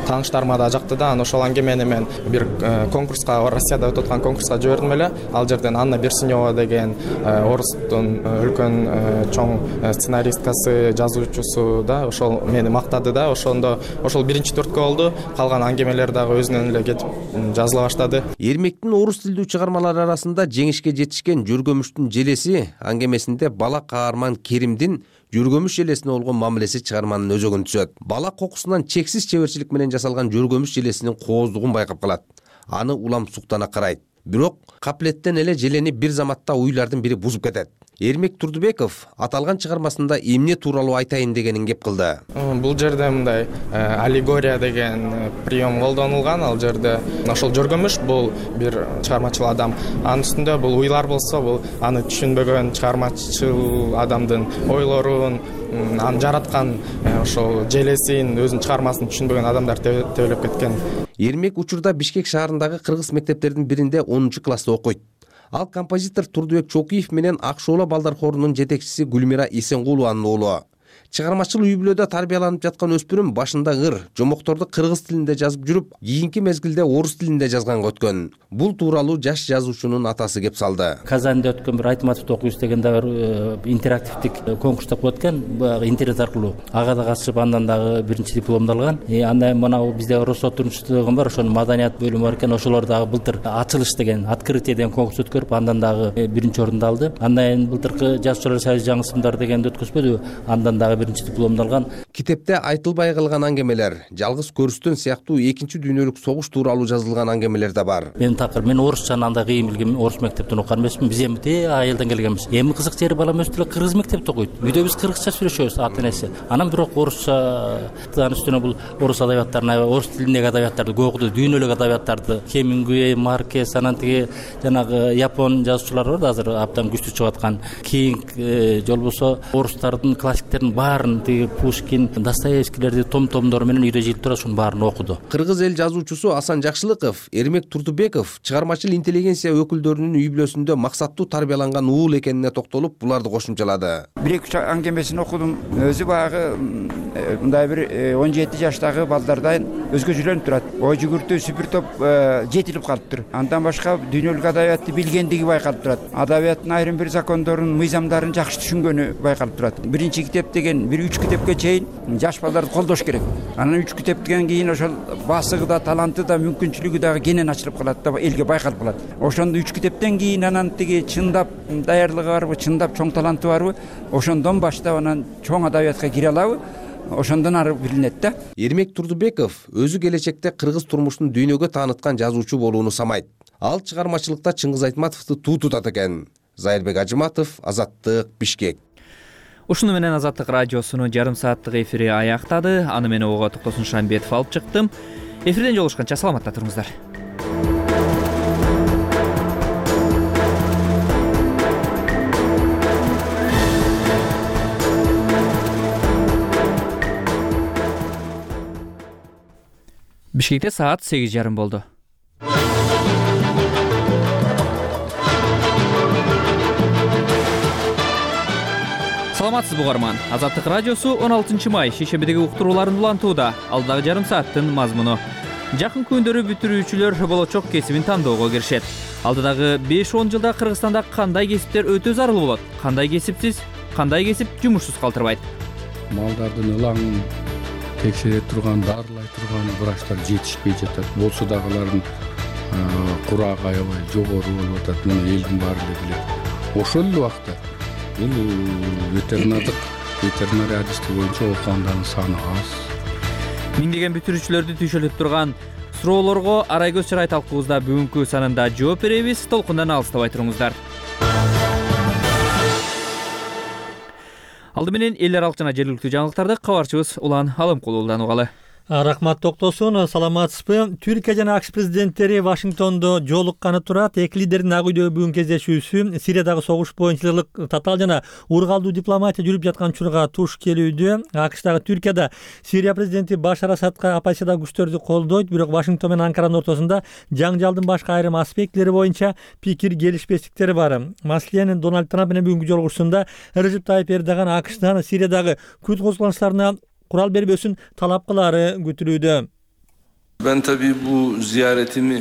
тааныштарыма да жакты да. Ошол аңгемени мен бир конкурска, Россияда өтүп аткан конкурска жибердим эле. Ал жерден Анна Берсинева деген орустун үлкөн чоң сценаристкасы, жазуучусу да, ошол мени мактады да. Ошол биринчи төрткө болду. Калган аңгемелер дагы өзүнөн эле кетип жазыла баштады. Эрмектин орус тилдүү чыгармалары арасында жеңишке жетишкен Жүргөмүштүн желеси аңгемесинде бала каарман Керимдин Жүргөмүш желесине болгон мамилеси чыгарманын өзөгүн түзөт. Бала кокусунан чексиз чеберчилик менен жасалган Жүргөмүш желесинин кооздугун байкап калат. Аны улам суктана карайт. Бирок каплеттен эле желени бир заматта уйлардын бири бузуп кетет. Эрмек Турдубеков аталган чыгармасында эмне тууралуу айтайын дегенин кеп кылды. Бул жерде мындай аллегория деген прием колдонулган. Ал жерде ошол Жүргөмүш бул бир чыгармачыл адам. Анын үстүндө бул уйлар болсо, бул аны түшүнбөгөн чыгармачыл адамдын ойлорун, аны жараткан ошол желесин, өзүнүн чыгармасын түшүнбөгөн адамдар тебелеп кеткен. Эрмек учурда Бишкек шаарындагы кыргыз мектептердин биринде 10 класста окуйт. Ал композитор Турдубек Чокуев менен Ак Шоола балдар хорунун жетекчиси Гүлмира Эсенгулованын уулу. Чыгармачыл үй бүлөдө тарбияланып жаткан өспүрүм башында ыр, жомокторду кыргыз тилинде жазып жүрүп, кийинки мезгилде орус тилинде жазганга өткөн. Бул тууралуу жаш жазуучунун атасы кеп салды. Казанда өткөн бир Айтматов окуюш деген дагы интерактивдик конкурста болуп аткан, интернет аркылуу. Ага да катышып, андан дагы биринчи дипломду алган. Андан мына бизде Росот турмуштуу бар, ошонун маданият бөлүмү бар экен. Ошолор дагы былтыр ачылыш деген, открытие деген конкурс өткөрүп, андан дагы биринчи орунду алды. Андан былтыркы жазуучулар союзу жаңы сымдар дегенди өткөзбөдү, андан дагы биринчи дипломду алган. Китепте айтылбай калган аңгемелер, жалгыз көрүстөн сыяктуу экинчи дүйнөлүк согуш тууралуу жазылган аңгемелер да бар. Мен орусчаны андай кыйын билгем, орус мектептен окуган эмесмин. Биз эми айылдан келгенбиз. Эми кызык жери балам өстү эле кыргыз мектепте окуйт. Үйдө биз кыргызча сүйлөшөбүз ата-энеси. Анан бирок орусча үстүнө бул орус адабияттарын, орус тилиндеги адабияттарды окуду, дүйнөлүк адабияттарды, Хемингуэй, Маркес, анан тиги жанагы япон жазуучулар бар да азыр абдан күчтүү чыгып аткан. Кинг, жол болсо орустардын классиктерин баарын, тиги Пушкин, Достоевскийлерди том-томдору менен үйдө жыйып туруп ушунун баарын окуду. Кыргыз эл жазуучусу Асан Жакшылыков, Эрмек Турдубеков чыгармачыл интеллигенция өкүлдөрүнүн үй бүлөсүндө максаттуу тарбияланган уул экенине токтолуп, буларды кошумчалады. Бир-эки аңгемесин окудум. Өзү баягы мындай бир 17 жаштагы балдардан өзгөчөлөнүп турат. Ой жүгүртүү сүпүр топ жетилип калыптыр. Андан башка дүйнөлүк адабиятты билгендиги байкалып турат. Адабияттын айрым бир закондорун, мыйзамдарын жакшы түшүнгөнү байкалып турат. Биринчи китеп деген чейин бир 3 китепке чейин жаш балдарды колдош керек. Анан 3 китептен кийин ошол басыгы да, таланты да, мүмкүнчүлүгү дагы кенен ачылып калат да, элге байкалып калат. Ошондо 3 китептен кийин анан тиги чындап даярдыгы барбы, чындап чоң таланты барбы, ошондон баштап анан чоң адабиятка кире алабы, ошондон ары билинет да. Эрмек Турдубеков өзү келечекте кыргыз турмушун дүйнөгө тааныткан жазуучу болууну самайт. Ал чыгармачылыкта Чыңгыз Айтматовду туу тутат экен. Зайырбек Ажыматов, Азаттык, Бишкек. Ушуну менен Азаттык радиосунун жарым сааттык эфири аяктады. Аны мен ого Токтосун Шамбетов алып чыктым. Эфирден жолугушканча саламатта туруңуздар. Бишкекте саат 8:30 болду. Саламатсызбы угарман. Азаттык радиосу 16 май шейшембидеги уктурууларын улантууда. Алдагы жарым сааттын мазмуну. Жакын күндөрү бүтүрүүчүлөр болочок кесибин тандоого киришет. Алдыдагы 5-10 жылда Кыргызстанда кандай кесиптер өтө зарыл болот? Кандай кесипсиз, кандай кесип жумушсуз калтырбайт? Малдардын ылаңын текшере турган, дарылай турган врачтар жетишпей жатат. Болсо дагы алардын курагы аябай жогору болуп атат. Муну элдин баары эле билет. Ошол эле убакта бул ветеринария адисти боюнча окугандардын саны аз. Миңдеген бүтүрүүчүлөрдү түйшөлүп турган суроолорго Арайгөз Чарай талкуубузда бүгүнкү санында жооп беребиз. Толкундан алыстабай туруңуздар. Алды менен эл аралык жана жергиликтүү жаңылыктарды кабарчыбыз Улан Алымкулуудан угалы. Рахмат Токтосун, саламатсызбы? Түркия жана АКШ президенттери Вашингтондо жолукканы турат. Эки лидердин ак үйдөгү бүгүн кездешүүсү Сириядагы согуш боюнча татаал жана ургалдуу дипломатия жүрүп жаткан учурга туш келүүдө. АКШдагы Түркияда Сирия президенти Башар Асадка оппозициядагы күчтөрдү колдойт, бирок Вашингтон менен Анкаранын ортосунда жаңжалдын башка айрым аспектилери боюнча пикир келишпестиктер бар. Маселен, Дональд Трамп менен бүгүнкү жолугушуусунда Режеп Тайип Эрдоган АКШтан Сириядагы Күрд козголоңчуларына курал бербөсүн талап кылаары күтүлүүдө. Ben tabii bu ziyaretimi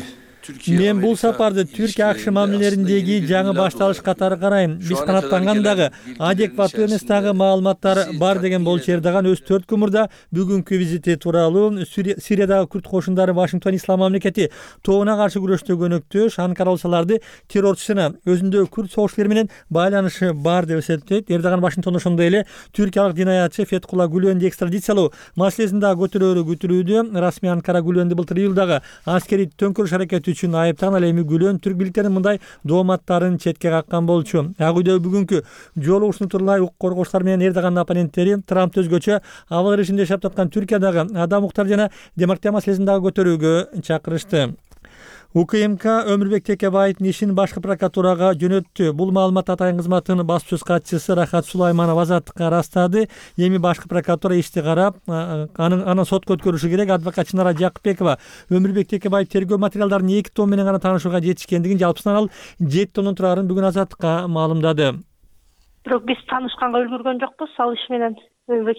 Мен бул сапарды Түркия АКШ мамилелериндеги жаңы башталыш катары карайм. Биз канааттанган дагы адекваттуу эмес дагы маалыматтар бар деген болчу. Эрдоган өз 4 күн мурда бүгүнкү визити тууралуу Сириядагы Күрд кошундары Вашингтон Ислам мамлекети тобуна каршы күрөштө көнөктөш, Анкара аларды террорчусуна өзүндө Күрд согушчулары менен байланышы бар деп эсептейт. Эрдоган Вашингтондо ошондой эле түркиялык динаятчы Фетхулла Гүленди экстрадициялоо маселесин дагы көтөрөөрү күтүлүүдө. Расмий Анкара Гүленди былтыр июлдагы аскерий төңкөрүш аракети үчүн айыптаган. Ал эми Гүлөн түрк бийликтеринин мындай дооматтарын четке каккан болчу. Ак үйдө бүгүнкү жолугушууну тууралай укук коргоочулар менен Эрдогандын оппоненттери Трамп өзгөчө абал режимде жашап жаткан Түркиядагы адам укуктары жана демократия маселесин дагы көтөрүүгө чакырышты. УКМК Өмүрбек Текебаевдин ишин башкы прокуратурага жөнөттү. Бул маалымат атайын кызматынын баспасөз катчысы Рахат Сулайманова Азаттыкка ырастады. Эми башкы прокуратура ишти карап, анын сотко өткөрүшү керек. Адвокат Чынара Жакыпбекова Өмүрбек Текебаев тергөө материалдарынын 2 том менен гана таанышууга жетишкендигин, жалпысынан ал 7 томдон турарын бүгүн Азаттыкка маалымдады. Бирок биз таанышканга үлгүргөн жокпуз. Ал иш менен Өмүрбек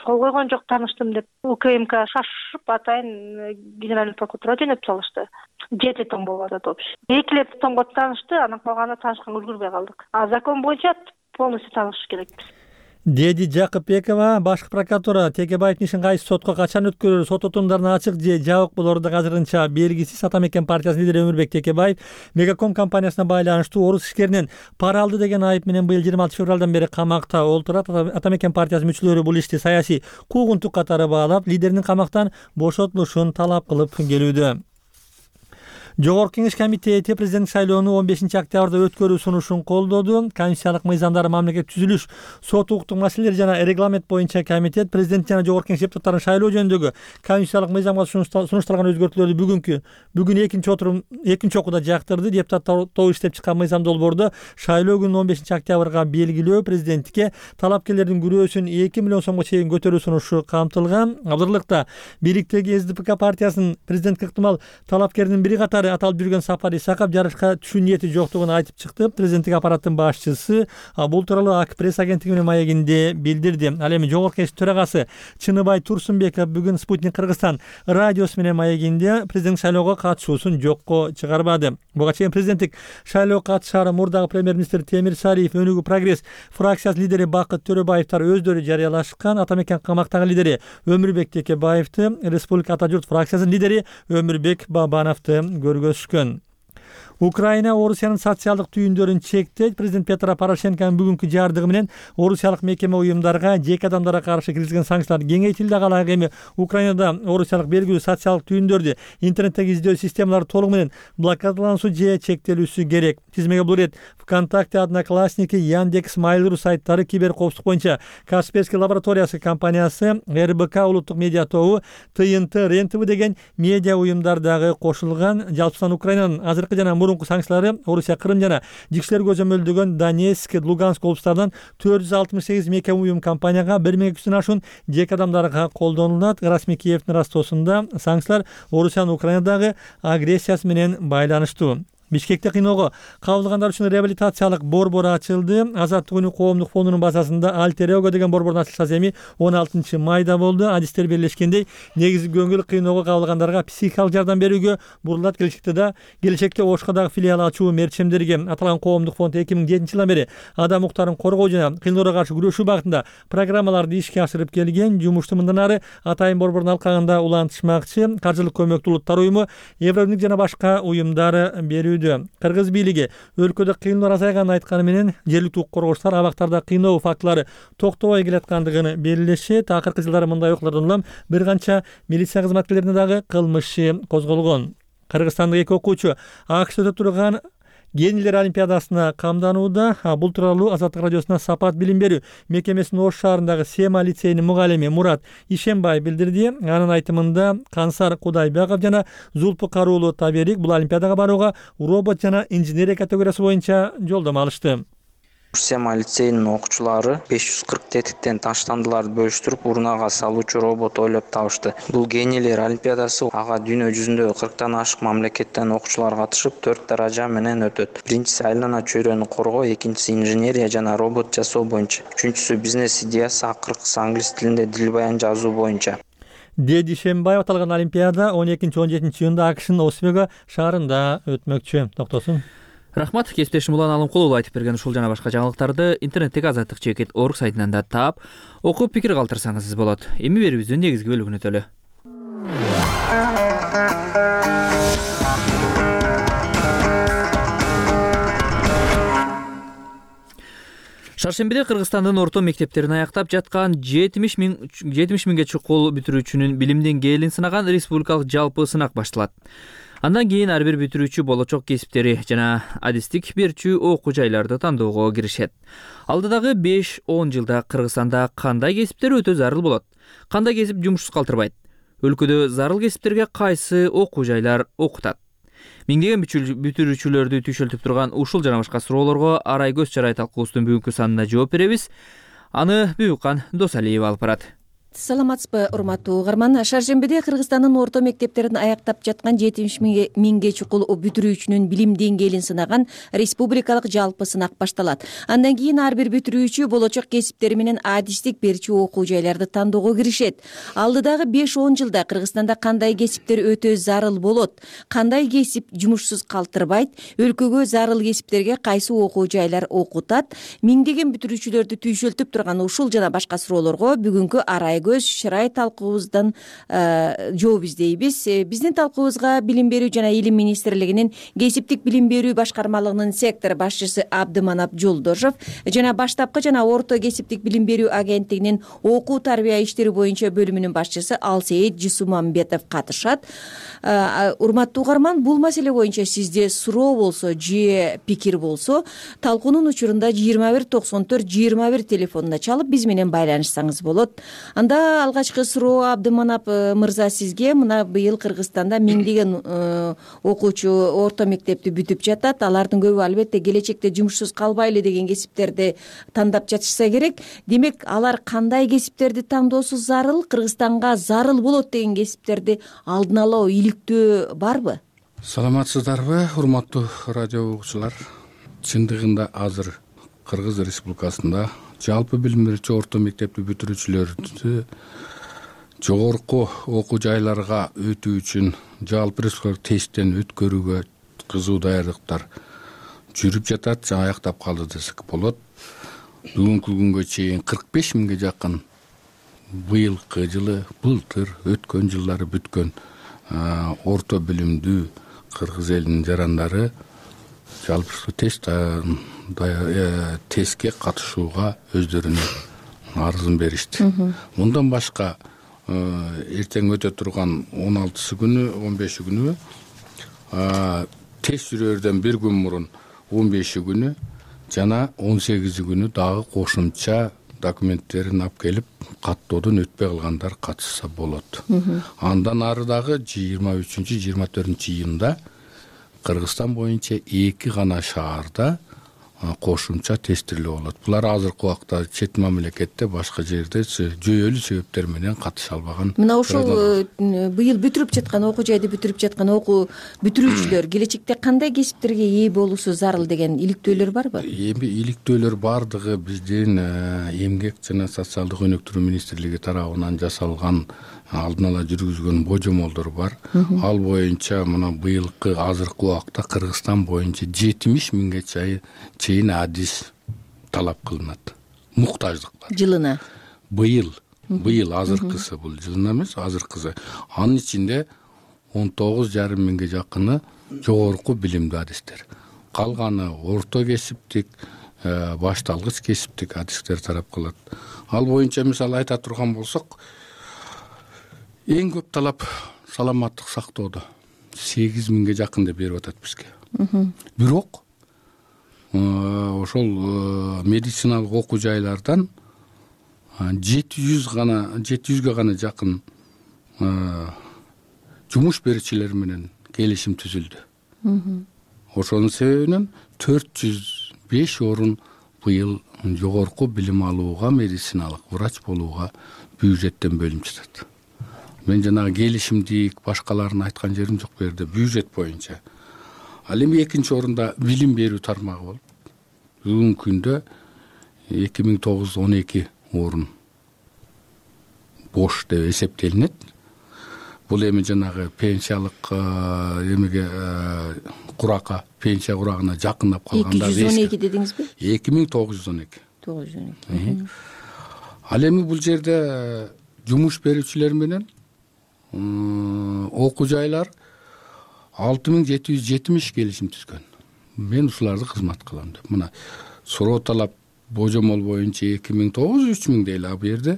кол койгон жок, тааныштым деп. УКМК шашып атайын генеральный прокуратурага жөнөтүп салышты. 7 том болуп атат общий. 2 томго таанышты, анан калганы таанышканга үлгүрбөй калдык. Закон боюнча полностью таанышыш керекпиз. Деди Жакыпбекова, башкы прокуратура Текебаевдин ишин кайсы сотко качан өткөрөр, сот отурумдарына ачык же жабык болору да азырынча белгисиз. Ата Мекен партиясынын лидери Өмүрбек Текебаев Мегаком компаниясына байланыштуу орус ишкеринен пара алды деген айып менен быйыл 26 февралдан бери камакта олтурат. Ата Мекен партиясынын мүчөлөрү бул ишти саясий куугунтук катары баалап, лидеринин камактан бошотулушун талап кылып келүүдө. Жогорку Кеңеш комитети президенттик шайлоону 15 октябрда өткөрүү сунушун колдоду. Конституциялык мыйзамдар, мамлекет түзүлүш, сот укуктук маселелер жана регламент боюнча комитет президент жана Жогорку Кеңеш депутаттарын шайлоо жөнүндөгү конституциялык мыйзамга сунушталган өзгөртүүлөрдү бүгүн экинчи окууда жактырды. Депутаттар тобу иштеп чыккан мыйзам долбоордо шайлоо күнүн 15 октябрга белгилөө, президенттикке талапкерлердин күрөөсүн 2 миллион сомго чейин көтөрүү сунушу камтылган. Абдырлыкта бийликтеги СДПК партиясынын президенттикке ыктымал талапкеринин бири катары дагы аталып жүргөн Сапар Исаков жарышка түшүү ниети жоктугун айтып чыкты. Президенттик аппараттын башчысы бул тууралуу АК пресс агенттиги менен маегинде билдирди. Ал эми Жогорку Кеңеш төрагасы Чыныбай Турсунбеков бүгүн Спутник Кыргызстан радиосу менен маегинде президенттик шайлоого катышуусун жокко чыгарбады. Буга чейин президенттик шайлоого катышаары мурдагы премьер-министр Темир Сариев, Өнүгүү Прогресс фракциясынын лидери Бакыт Төрөбаевтар өздөрү жарыялашкан. Атамекен камактагы лидери Өмүрбек Текебаевди, Республика Ата журт фракциясынын лидери Өмүрбек Бабановду көргөзүшкөн. Украина Орусиянын социалдык түйүндөрүн чектейт. Президент Петро Порошенконун бүгүнкү жардыгы менен орусиялык мекеме уюмдарга, жеке адамдарга каршы киргизилген санкциялар кеңейтилди. Ал эми Украинада орусиялык белгилүү социалдык түйүндөрдү интернеттеги издөө системалары толугу менен блокадалануусу же чектелүүсү керек. Тизмеге бул рет ВКонтакте, Одноклассники, Яндекс, Mail.ru сайттары, кибер коопсуздук боюнча Касперский лабораториясы компаниясы, РБК улуттук медиа тобу, ТНТ, РЕН-ТВ деген медиа уюмдар дагы кошулган. Жалпысынан Украинанын азыркы жана мурунку санкциялары Орусия, Крым жана жикшелер көзөмөлдөгөн Донецк, Луганск облустарынан 468 мекеме уюм компанияга 1200 ашуун жеке адамдарга колдонулат. Расмий Киевдин растоосунда санкциялар Орусиянын Украинадагы агрессиясы менен байланыштуу. Бишкекте кыйноого кабылгандар үчүн реабилитациялык борбор ачылды. Азаттык үнү коомдук фондунун базасында Альтер Эго деген борбордун ачылышасы эми 16 майда болду. Адистер белгилешкендей, негизги көңүл кыйноого кабылгандарга психикалык жардам берүүгө бурулат. Келечекте Ошко дагы филиал ачуу мерчемдерге. Аталган коомдук фонд 2007 жылдан бери адам укуктарын коргоо жана кыйноого каршы күрөшүү багытында программаларды ишке ашырып келген. Жумушту мындан ары Атайын борбордун алкагында улантышмакчы. Каржылык көмөктү Улуттар уюму, Евробирлик жана башка уюмдар берүү. Кыргыз бийлиги өлкөдө кыйноолор азайганын айтканы менен жергиликтүү укук коргоочулар абактарда кыйноо фактылары токтобой келаткандыгын белгилешет. Акыркы жылдары мындай окуялардан улам бир канча милиция кызматкерлерине дагы кылмыш козголгон. Кыргызстандык эки окуучу АКШда турган Генийлер олимпиадасына камданууда. Бул тууралуу Азаттык радиосуна Сапат билим берүү мекемесинин Ош шаарындагы Сема лицейинин мугалими Мурат Ишембай билдирди. Анын айтымында Кансар Кудайбеков жана Зулпу Каруулу Таберик бул олимпиадага барууга робот жана инженерия категориясы боюнча жолдомо алышты. Сема лицейинин окуучулары 540 тетиктен таштандыларды бөлүштүрүп урнага салуучу робот ойлоп табышты. Бул Генийлер олимпиадасы. Ага дүйнө жүзүндө 40тан ашык мамлекеттен окуучулар катышып 4 даража менен өтөт. Биринчиси айлана чөйрөнү коргоо, экинчиси инженерия жана робот жасоо боюнча, үчүнчүсү бизнес идеясы, акыркысы англис тилинде дил баян жазуу боюнча. Деди Шембаев аталган олимпиада 12-17 июнда АКШнын Освего шаарында өтмөкчү. Токтосун. Рахмат, кесиптешим Улан Алымкулов айтып берген ушул жана башка жаңылыктарды интернеттеги azattik.org сайтынан да таап, окуп пикир калтырсаңыз болот. Эми берүүбүздүн негизги бөлүгүнө өтөлү. Шаршембиде Кыргызстандын орто мектептерин аяктап жаткан 70 миңге чукул бүтүрүүчүнүн билим деңгээлин сынаган республикалык жалпы сынак башталат. Андан кийин ар бир бүтүрүүчү болочок кесиптери жана адистик берчү окуу жайларды тандоого киришет. Алдыдагы 5-10 жылда Кыргызстанда кандай кесиптер өтө зарыл болот? Кандай кесип жумушсуз калтырбайт? Өлкөдө зарыл кесиптерге кайсы окуу жайлар окутат? Миңдеген бүтүрүүчүлөрдү түйшөлтүп турган ушул жана башка суроолорго Арай Көз Чарай талкуусунун бүгүнкү санына жооп беребиз. Аны Бүбүккан Досалиева алып барат. Саламатсызбы, урматтуу угарман. Шаршембиде Кыргызстандын орто мектептерин аяктап жаткан 70 миңге чукул бүтүрүүчүнүн билим деңгээлин сынаган республикалык жалпы сынак башталат. Андан кийин ар бир бүтүрүүчү болочок кесиптери менен адистик берчү окуу жайларды тандоого киришет. Алдыдагы 5-10 жылда Кыргызстанда кандай кесиптер өтө зарыл болот? Кандай кесип жумушсуз калтырбайт? Өлкөгө зарыл кесиптерге кайсы окуу жайлар окутат? Миңдеген бүтүрүүчүлөрдү түйшөлтүп турган ушул жана башка суроолорго бүгүнкү Арай Көз Чарай талкуубуздан жооп издейбиз. Биздин талкуубузга Билим берүү жана Илим министрлигинин кесиптик билим берүү башкармалыгынын сектор башчысы Абдыманап Жолдошов жана баштапкы жана орто кесиптик билим берүү агенттигинин окуу тарбия иштери боюнча бөлүмүнүн башчысы Алсейит Жусумамбетов катышат. Урматтуу угарман, бул маселе боюнча сизде суроо болсо же пикир болсо, талкуунун учурунда 2194-21 телефонуна чалып биз менен байланышсаңыз болот. Анда алгачкы суроо Абдыманап мырза сизге. Мына быйыл Кыргызстанда миңдеген окуучу орто мектепти бүтүп жатат. Алардын көбү албетте келечекте жумушсуз калбайлы деген кесиптерди тандап жатышса керек. Демек, алар кандай кесиптерди тандоосу зарыл? Кыргызстанга зарыл болот деген кесиптерди алдын ала иликтөө барбы? Саламатсыздарбы, урматтуу радио угуучулар? Чындыгында азыр Кыргыз Республикасында жалпы билим берүүчү орто мектепти бүтүрүүчүлөрдү жогорку окуу жайларга өтүү үчүн жалпы республикалык тесттен өткөрүүгө кызуу даярдыктар жүрүп жатат, жана аяктап калды десек болот. Бүгүнкү күнгө чейин 45 миңге жакын быйылкы жылы, былтыр, өткөн жылдары бүткөн орто билимдүү кыргыз элинин жарандары жалпы тестке катышууга өздөрүнүн арызын беришти. Мындан башка эртең өтө турган 16 күнү, 15 күнү тест жүрөрдөн бир күн мурун 15 күнү жана 18 күнү дагы кошумча документтерин алып келип каттоодон өтпөй калгандар катышса болот. Андан ары дагы 23-24 июнда Кыргызстан боюнча 2 гана шаарда кошумча тестирлөө болот. Булар азыркы убакта чет мамлекетте, башка жерде жүйөлүү себептер менен катыша албаган. Мына ошол быйыл бүтүрүп жаткан окуу жайды бүтүрүп жаткан окуу бүтүрүүчүлөр келечекте кандай кесиптерге ээ болуусу зарыл деген иликтөөлөр барбы? Эми иликтөөлөр бардыгы биздин эмгек жана социалдык өнүктүрүү министрлиги тарабынан жасалган алдын ала жүргүзгөн божомолдор бар. Ал боюнча мына быйылкы азыркы убакта Кыргызстан боюнча 70 миңге чейин адис талап кылынат. Муктаждык бар. Жылына. Быйыл азыркысы, бул жылына эмес, азыркысы. Анын ичинде 19,5 миңге жакыны жогорку билимдүү адистер. Калганы орто кесиптик, башталгыч кесиптик адистер тарап кылат. Ал боюнча мисалы айта турган болсок, эң көп талап саламаттык сактоодо 8 миңге жакын деп берип атат бизге. Бирок ошол медициналык окуу жайлардан 700га гана жакын жумуш берүүчүлөр менен келишим түзүлдү. Ошонун себебинен 405 орун быйыл жогорку билим алууга, медициналык врач болууга бюджеттен бөлүнүп жатат. Мен жанагы келишимдик башкаларын айткан жерим жок бу жерде, бюджет боюнча. Ал эми экинчи орунда билим берүү тармагы болуп, бүгүнкү күндө 2912 орун бош деп эсептелинет. Бул эми жанагы пенсиялык эмеге куракка, пенсия курагына жакындап калганда 212 дедиңизби? 2912. 912. Ал эми бул жерде жумуш берүүчүлөр менен окуу жайлар 6770 келишим түзгөн. Мен ушуларды кызмат кылам деп. Мына суроо талап божомол боюнча 2900-3000 дейли, а бу жерде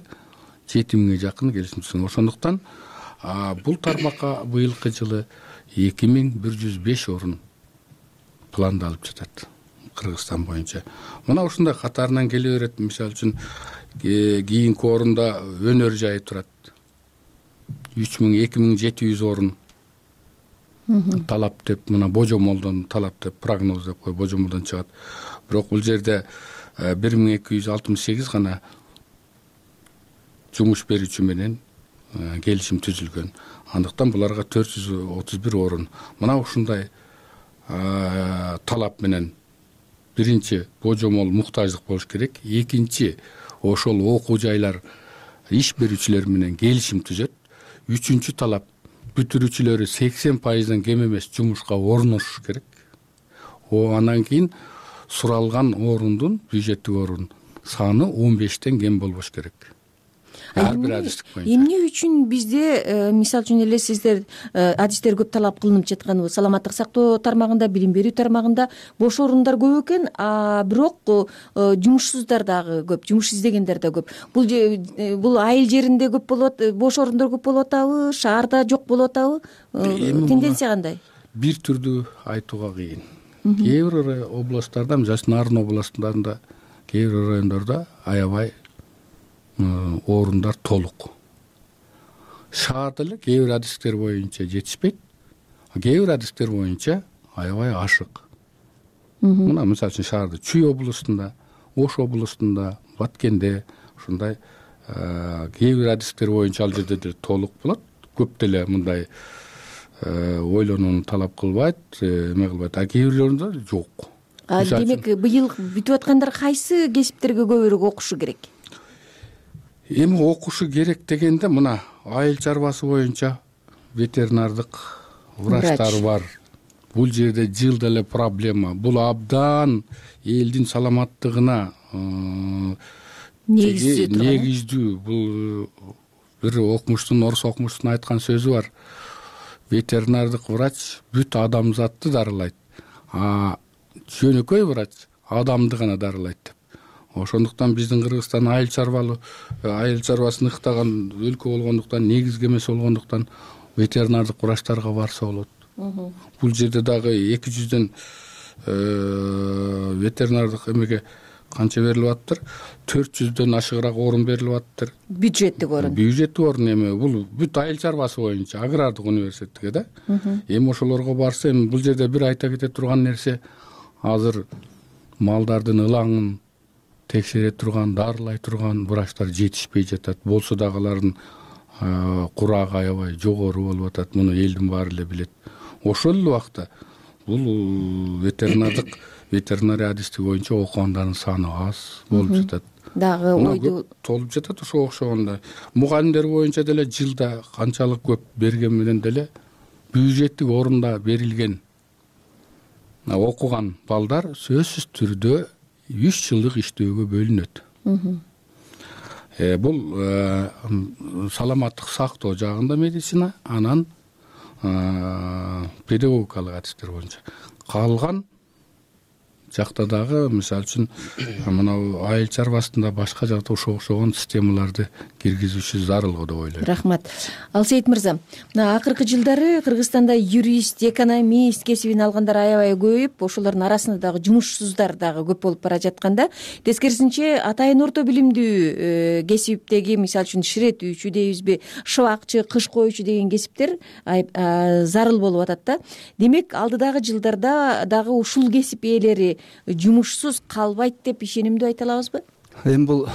7000ге жакын келишим түзгөн. Ошондуктан бул тармакка быйылкы жылы 2105 орун пландалып жатат Кыргызстан боюнча. Мына ушундай катарынан келе берет. Мисалы үчүн кийинки орунда өнөр жайы турат. 2700 орун талап деп, мына божомолдон талап деп, прогноз деп кой, божомолдон чыгат. Бирок бул жерде 1268 гана жумуш берүүчү менен келишим түзүлгөн. Андыктан буларга 431 орун. Мына ушундай талап менен биринчи божомол муктаждык болуш керек. Экинчи ошол окуу жайлар иш берүүчүлөр менен келишим түзөт. Үчүнчү талап бүтүрүүчүлөрү 80%дан кем эмес жумушка орношуш керек. Андан кийин суралган орундун, бюджеттик орун саны 15тен кем болбош керек. Ар бир адистик боюнча. Эмне үчүн бизде мисалы үчүн эле сиздер адистер көп талап кылынып жаткан саламаттык сактоо тармагында, билим берүү тармагында бош орундар көп экен, бирок жумушсуздар дагы көп, жумуш издегендер да көп. Бул айыл жеринде көп болот, бош орундор көп болуп атабы, шаарда жок болуп атабы? Тенденция кандай? Бир түрдүү айтууга кыйын. Кээ бир областтарда, мисалы Нарын областында, кээ бир райондордо аябай орундар толук. Шаарда эле кээ бир адистер боюнча жетишпейт, кээ бир адистер боюнча аябай ашык. Мына мисалы үчүн шаарда Чүй областында, Ош областында, Баткенде ушундай кээ бир адистер боюнча ал жерде толук болот. Көп деле мындай ойлонууну талап кылбайт, эме кылбайт, а кээ бирлеринде жок. Демек быйыл бүтүп аткандар кайсы кесиптерге көбүрөөк окушу керек? Эми окушу керек дегенде мына айыл чарбасы боюнча ветеринардык врачтар бар. Бул жерде жылда эле проблема. Бул абдан элдин саламаттыгына негиздүү. Бул бир окумуштун, орус окумуштун айткан сөзү бар. Ветеринардык врач бүт адамзатты дарылайт, а жөнөкөй врач адамды гана дарылайт деп. Ошондуктан биздин Кыргызстан айыл чарбасын ыктаган өлкө болгондуктан, негизги эмес болгондуктан ветеринардык врачтарга барса болот. Бул жерде дагы 200дөн ветеринардык эмеге канча берилип атыптыр? 400дөн ашыгыраак орун берилип атыптыр. Бюджеттик орун. Бюджеттик орун эми бул бүт айыл чарбасы боюнча агрардык университетке да. Эми ошолорго барса, эми бул жерде бир айта кете турган нерсе, азыр малдардын ылаңын текшере турган, дарылай турган врачтар жетишпей жатат. Болсо дагы алардын курагы аябай жогору болуп атат. Муну элдин баары эле билет. Ошол эле убакта бул ветеринария адистиги боюнча окугандардын саны аз болуп жатат. Дагы ойду толуп жатат. Ошого окшогондой мугалимдер боюнча деле жылда канчалык көп берген менен деле бюджеттик орунда берилген окуган балдар сөзсүз түрдө 3 жылдык иштөөгө бөлүнөт. Бул саламаттык сактоо жагында медицина, анан педагогикалык адистер боюнча. Калган жакта дагы мисалы үчүн мына айыл чарбасында башка жакта ошого окшогон системаларды киргизүүчү зарыл го деп ойлойм. Рахмат. Алсейит мырза, мына акыркы жылдары Кыргызстанда юрист, экономист кесибин алгандар аябай көбөйүп, ошолордун арасында дагы жумушсуздар дагы көп болуп бара жатканда, тескерисинче атайын орто билимдүү кесиптеги, мисалы үчүн ширетүүчү дейбизби, шыбакчы, кыш коюучу деген кесиптер зарыл болуп атат да. Демек, алдыдагы жылдарда дагы ушул кесип ээлери жумушсуз калбайт деп ишенимдүү айта алабызбы? Эми бул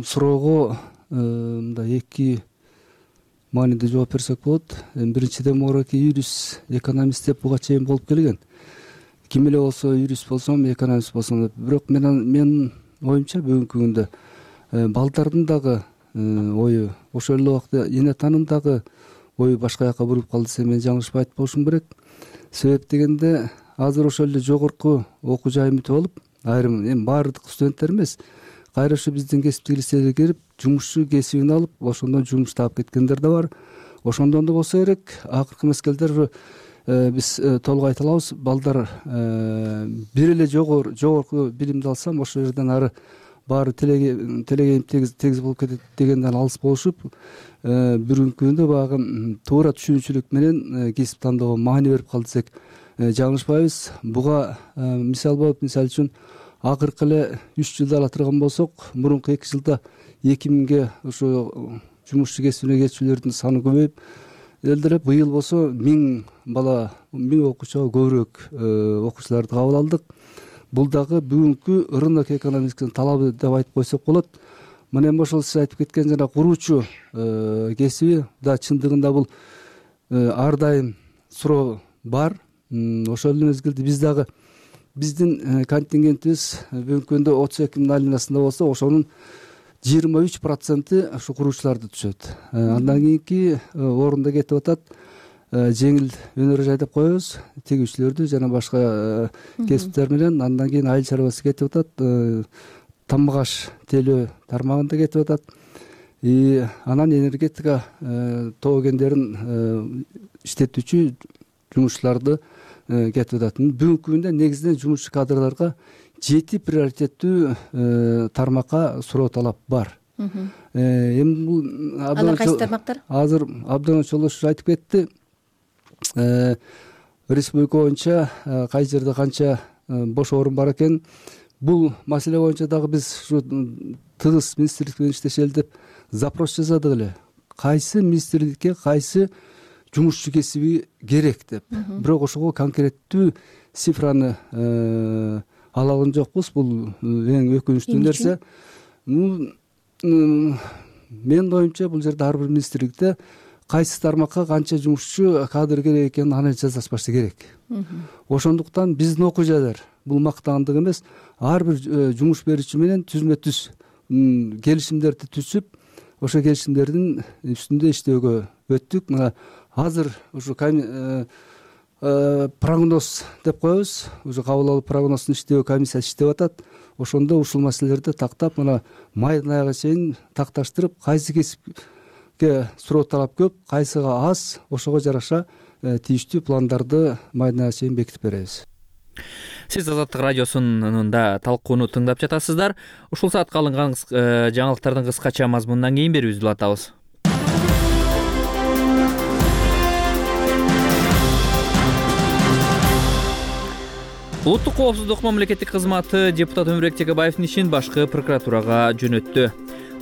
суроого мындай эки мааниде жооп берсек болот. Биринчиден мурунки юрист, экономист деп буга чейин болуп келген. Ким эле болсо, юрист болсом, экономист болсом, бирок менин оюмча бүгүнкү күндө балдардын дагы ою, ошол эле убакта эне таанымдагы ою башка жака буруп калды десем мен жаңылышпай айтып болушум керек. Себеп дегенде азыр ошол эле жогорку окуу жайын бүтүп алып, айрым эми баардык студенттер эмес, кайра ушу биздин кесиптик лицейге кирип, жумушчу кесибин алып, ошондон жумуш таап кеткендер да бар. Ошондон да болсо керек, акыркы мезгилдер биз толук айта алабыз, балдар бир эле жогорку билимди алсам, ошол жерден ары баары телегейим тегиз болуп кетет дегенден алыс болушуп, бүгүнкү күндө баягы туура түшүнүүчүлүк менен кесип тандоого маани берип калды десек жаңылышпайбыз. Буга мисал болуп, мисалы үчүн акыркы эле 3 жылда ала турган болсок, мурунку 2 жылда 2000ге ошо жумушчу кесибине кетүүчүлөрдүн саны көбөйүп, эле быйыл болсо 1000 бала, 1000 окуучуга көбүрөөк окуучуларды кабыл алдык. Бул дагы бүгүнкү рынок экономикасынын талабы деп айтып койсок болот. Мына эми ошол сиз айтып кеткен жана куруучу кесиби да чындыгында бул ар дайым суроо бар. Ошол эле мезгилде биз дагы биздин контингентибиз бүгүнкү күндө 32 миң алинасында болсо, ошонун 23% ушу куруучуларды түшөт. Андан кийинки орунда кетип атат жеңил өнөр жай деп коебуз, тегүүчүлөрдү жана башка кесиптер менен. Андан кийин айыл чарбасы кетип атат, тамак-аш тейлөө тармагында кетип атат. Анан энергетика тоо кендерин иштетүүчү жумушчуларды кетип атат. Бүгүнкү күндө негизинен жумушчу кадрларга 7 приоритеттүү тармакка суроо талап бар. Эми бул алар кайсы тармактар? Азыр абдан чолош айтып кетти. Республика боюнча кай жерде канча бош орун бар экен. Бул маселе боюнча дагы биз ушу тыгыз министрлик менен иштешели деп запрос жаздык эле. Кайсы министрликке кайсы жумушчу кесиби керек деп. Бирок ошого конкреттүү цифраны ала алган жокпуз. Бул эң өкүнүчтүү нерсе. Менин оюмча бул жерде ар бир министрликте кайсы тармакка канча жумушчу кадр керек экенин анализ жасашпашы керек. Ошондуктан биздин окуу жайлар бул мактаандык эмес, ар бир жумуш берүүчү менен түзмө түз келишимдерди түзүп, ошо келишимдердин үстүндө иштөөгө өттүк. Мына азыр ушу прогноз деп коебуз, уже кабыл алуу прогнозун иштөө комиссиясы иштеп атат. Ошондо ушул маселелерди тактап, мына майдын аягына чейин такташтырып, кайсы кесипке суроо талап көп, кайсыга аз, ошого жараша тийиштүү пландарды майдын аягына чейин бекитип беребиз. Сиз Азаттык радиосунун талкууну тыңдап жатасыздар. Ушул саатка алынган жаңылыктардын кыскача мазмунунан кийин берүүбүздү улантабыз. Улуттук коопсуздук мамлекеттик кызматы депутат Өмүрбек Текебаевдин ишин башкы прокуратурага жөнөттү.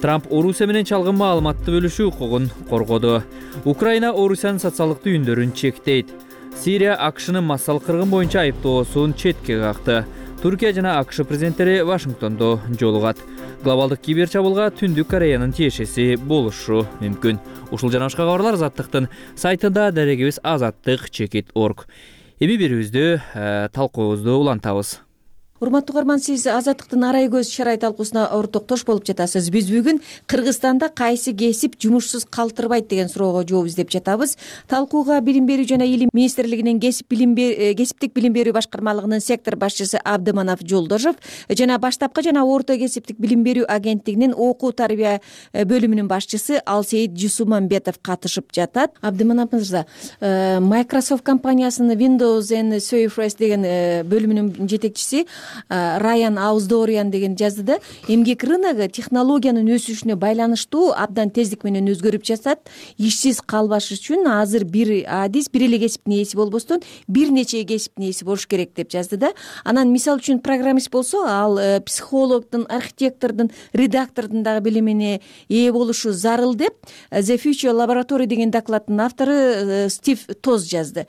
Трамп Орусия менен чалгын маалыматты бөлүшүү укугун коргоду. Украина Орусиянын социалдык түйүндөрүн чектейт. Сирия АКШнын массалык кыргын боюнча айыптоосун четке какты. Түркия жана АКШ президенттери Вашингтондо жолугат. Глобалдык киберчабуулга Түндүк Кореянын тиешеси болушу мүмкүн. Ушул жана башка кабарлар Азаттыктын сайтында, дарегибиз azattik.org. Эми берүүбүздү талкуубузду улантабыз. Урматтуу угарман, сиз Азаттыктын арай көз шарай талкуусуна ортоктош болуп жатасыз. Биз бүгүн Кыргызстанда кайсы кесип жумушсуз калтырбайт деген суроого жооп издеп жатабыз. Талкууга Билим берүү жана Илим министрлигинин кесиптик билим берүү башкармалыгынын сектор башчысы Абдыманап Жолдошов жана баштапкы жана орто кесиптик билим берүү агенттигинин окуу тарбия бөлүмүнүн башчысы Алсейит Жусумамбетов катышып жатат. Абдыманап мырза, Microsoft компаниясынын Windows and Surface деген бөлүмүнүн жетекчиси Райан Ауздориан деген жазды да, эмгек рыногу технологиянын өсүшүнө байланыштуу абдан тездик менен өзгөрүп жатат. Ишсиз калбаш үчүн азыр бир адис бир эле кесиптин ээси болбостон бир нече кесиптин ээси болуш керек деп жазды да. Анан мисал үчүн программист болсо, ал психологдун, архитектордун, редактордун дагы билимине ээ болушу зарыл деп The Future Laboratory деген докладдын автору Стив Тоз жазды.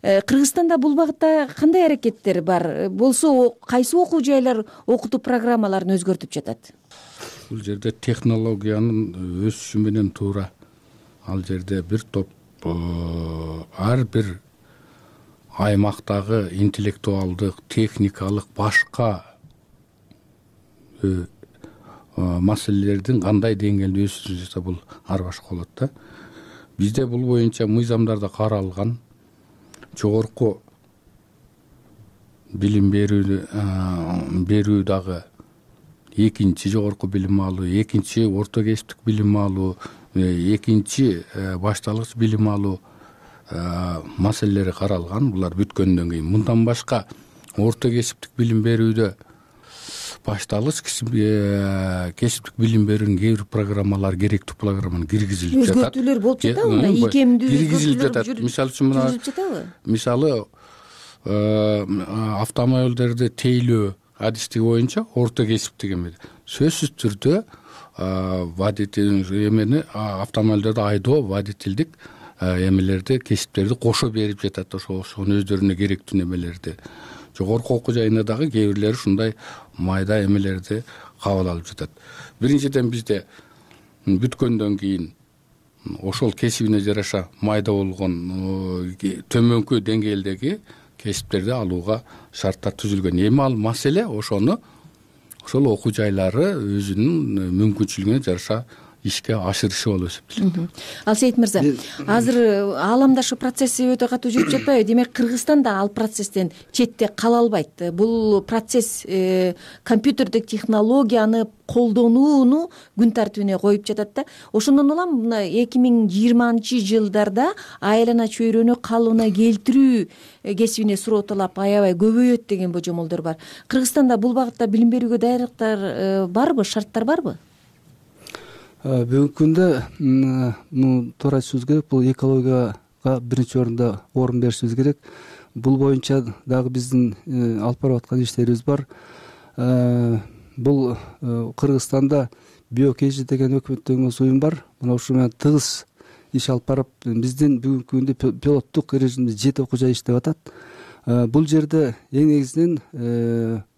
Кыргызстанда бул багытта кандай аракеттер бар? Болсо кайсы окуу жайлар окутуу программаларын өзгөртүп жатат? Бул жерде технологиянын өсүшү менен туура. Ал жерде бир топ ар бир аймактагы интеллектуалдык, техникалык, башка маселелердин кандай деңгээлде өсүшү жатса, бул ар башка болот да. Бизде бул боюнча мыйзамдарда каралган. Жогорку билим берүү дагы экинчи жогорку билим алуу, экинчи орто кесиптик билим алуу, экинчи башталгыч билим алуу маселелери каралган. Булар бүткөндөн кийин мындан башка орто кесиптик билим берүүдө башталгыч кесиптик билим берүүнүн кээ бир программалар, керектүү программаны киргизилип жатат. Өзгөртүүлөр болуп жатабы? Мындай ийкемдүү киргизилип жатат. Мисалы үчүн мисалы автомобилдерди тейлөө адистиги боюнча орто кесиптик эме сөзсүз түрдө водитель автомобилдерди айдоо, водительдик эмелерди, кесиптерди кошо берип жатат. Ошонун өздөрүнө керектүү эмелерди. Жогорку окуу жайында дагы кээ бирлери ушундай майда эмелерди кабыл алып жатат. Биринчиден бизде бүткөндөн кийин ошол кесибине жараша майда болгон төмөнкү деңгээлдеги кесиптерди алууга шарттар түзүлгөн. Эми ал маселе ошол окуу жайлары өзүнүн мүмкүнчүлүгүнө жараша ишке ашырышы болуп эсептелет. Алсейит мырза, азыр ааламдашы процесси өтө катуу жүрүп жатпайбы? Демек Кыргызстан да ал процесстен четте кала албайт. Бул процесс компьютердик технологияны колдонууну күн тартибине коюп жатат да. Ошондон улам мына 2020-жылдарда айлана чөйрөнү калыбына келтирүү кесибине суроо талап аябай көбөйөт деген божомолдор бар. Кыргызстанда бул багытта билим берүүгө даярдыктар барбы, шарттар барбы? Бүгүнкү күндө туура айтышыбыз керек. Бул экологияга биринчи орун беришибиз керек. Бул боюнча дагы биздин алып барып аткан иштерибиз бар. Бул Кыргызстанда биокежи деген өкмөттөн уюм бар. Мына ушул менен тыгыз иш алып барып, биздин бүгүнкү күндө пилоттук режимде 7 окуу жай иштеп атат. Бул жерде эң негизинен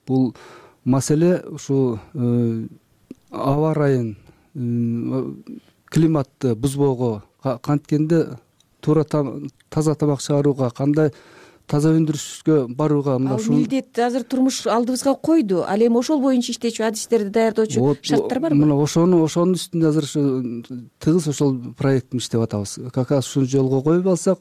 бул маселе ушу аба ырайын климатты бузбоого, канткенде туура таза тамак чыгарууга, кандай таза өндүрүшкө барууга ушул милдет азыр турмуш алдыбызга койду. Ал эми ошол боюнча иштечү адистерди даярдоочу шарттар барбы? Мына ошонун үстүндө азыр тыгыз ошол проекттин иштеп атабыз. Как раз ушуну жолго коюп алсак,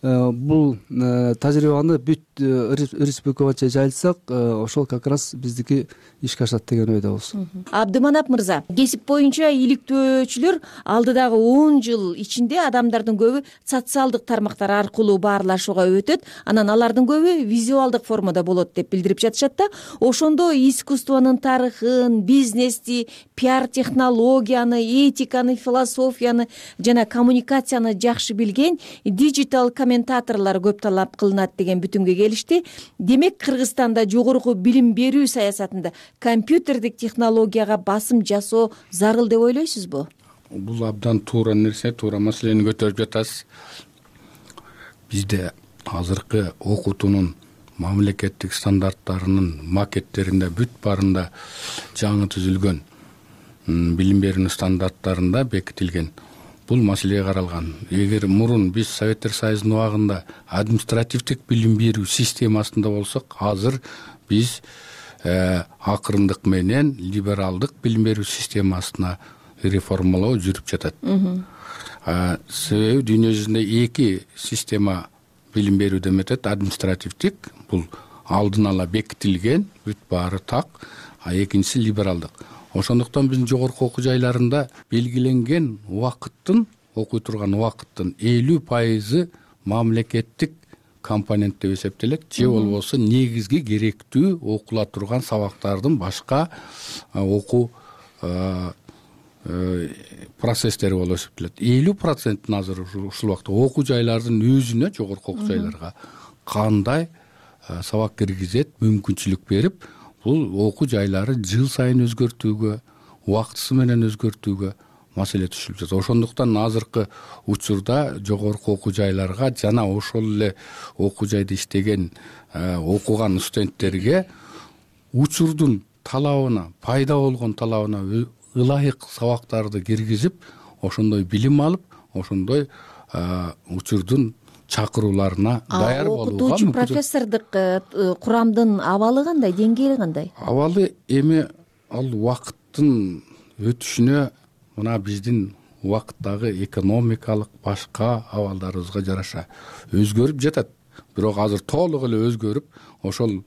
бул тажрыйбаны бүт республика боюнча жайылтсак, ошол как раз биздики ишке ашат деген ойдобуз. Абдыманап мырза, кесип боюнча иликтөөчүлөр алдыдагы 10 жыл ичинде адамдардын көбү социалдык тармактар аркылуу баарлашууга өтөт, анан алардын көбү визуалдык формада болот деп билдирип жатышат да. Ошондо искусствонун тарыхын, бизнести, пиар технологияны, этиканы, философияны жана коммуникацияны жакшы билген диджитал комментаторлор көп талап кылынат деген бүтүмгө келишти. Демек, Кыргызстанда жогорку билим берүү саясатында компьютердик технологияга басым жасоо зарыл деп ойлойсузбу? Бул абдан туура нерсе, туура маселени көтөрүп жатасыз. Бизде азыркы окутуунун мамлекеттик стандарттарынын макеттеринде бүт баарында жаңы түзүлгөн билим берүүнүн стандарттарында бекитилген бул маселе каралган. Эгер мурун биз Советтер Союзунун убагында административдик билим берүү системасында болсок, азыр биз акырындык менен либералдык билим берүү системасына реформалоо жүрүп жатат. Себеби дүйнө жүзүндө 2 система билим берүүдө өтөт. Административдик, бул алдын ала бекитилген, бүт баары так, а экинчиси либералдык. Ошондуктан биздин жогорку окуу жайларында белгиленген убакыттын, окуй турган убакыттын 50% мамлекеттик компонент деп эсептелет, же болбосо негизги керектүү окула турган сабактардын башка окуу процесстери болуп эсептелет. 50% азыр ушул убакта окуу жайлардын өзүнө, жогорку окуу жайларга кандай сабак киргизет мүмкүнчүлүк берип, бул окуу жайлары жыл сайын өзгөртүүгө, убактысы менен өзгөртүүгө маселе түшүлүп жатат. Ошондуктан азыркы учурда жогорку окуу жайларга жана ошол эле окуу жайда иштеген окуган студенттерге учурдун талабына, пайда болгон талабына ылайык сабактарды киргизип, ошондой билим алып, ошондой учурдун чакырууларына даяр болууга. Окутуучу профессордук курамдын абалы кандай, деңгээли кандай? Абалы эми ал убакыттын өтүшүнө, мына биздин убакыттагы экономикалык башка абалдарыбызга жараша өзгөрүп жатат. Бирок азыр толук эле өзгөрүп, ошол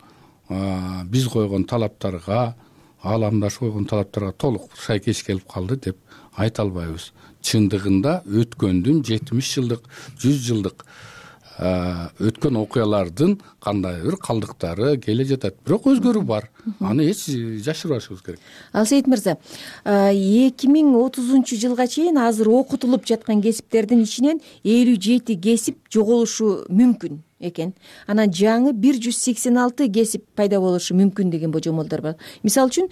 биз койгон талаптарга, ааламдаш койгон талаптарга толук шайкеш келип калды деп айта албайбыз. Чындыгында өткөндүн 70 жылдык, 100 жылдык өткөн окуялардын кандайдыр калдыктары келе жатат. Бирок өзгөрүү бар. Аны эч жашырбашыбыз керек. Алсейит мырза, 2030 жылга чейин азыр окутулуп жаткан кесиптердин ичинен 57 кесип жоголушу мүмкүн экен. Анан жаңы 186 кесип пайда болушу мүмкүн деген божомолдор бар. Мисалы үчүн,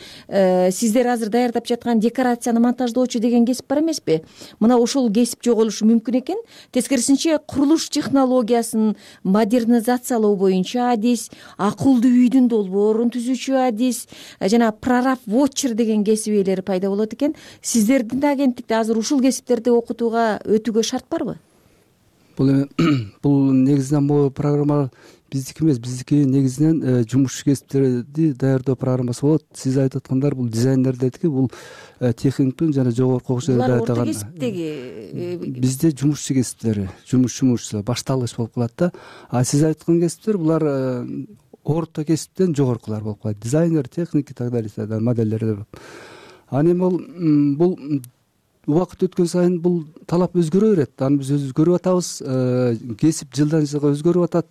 сиздер азыр даярдап жаткан декорацияны монтаждоочу деген кесип бар эмеспи? Мына ошол кесип жоголушу мүмкүн экен. Тескерисинче, курулуш технологиясын модернизациялоо боюнча адис, акылдуу үйдүн долбоорун түзүүчү адис жана прораб watcher деген кесип ээлери пайда болот экен. Сиздердин агенттикте азыр ушул кесиптерди окутууга өтүүгө шарт барбы? Бул негизинен бул программа биздики эмес, биздики негизинен жумушчу кесиптерди даярдоо программасы болот. Сиз айтып аткандар бул дизайнерлердики, бул техниктин жана жогорку окуу жайда даярдаган. Булар орто кесиптеги. Бизде жумушчу кесиптери, жумушчу башталгыч болуп калат да. А сиз айткан кесиптер булар орто кесиптен жогоркулар болуп калат. Дизайнер, техник и так далее, модельдер. Аны бул убакыт өткөн сайын бул талап өзгөрө берет. Аны биз өзгөрүп атабыз. Кесип жылдан жылга өзгөрүп атат.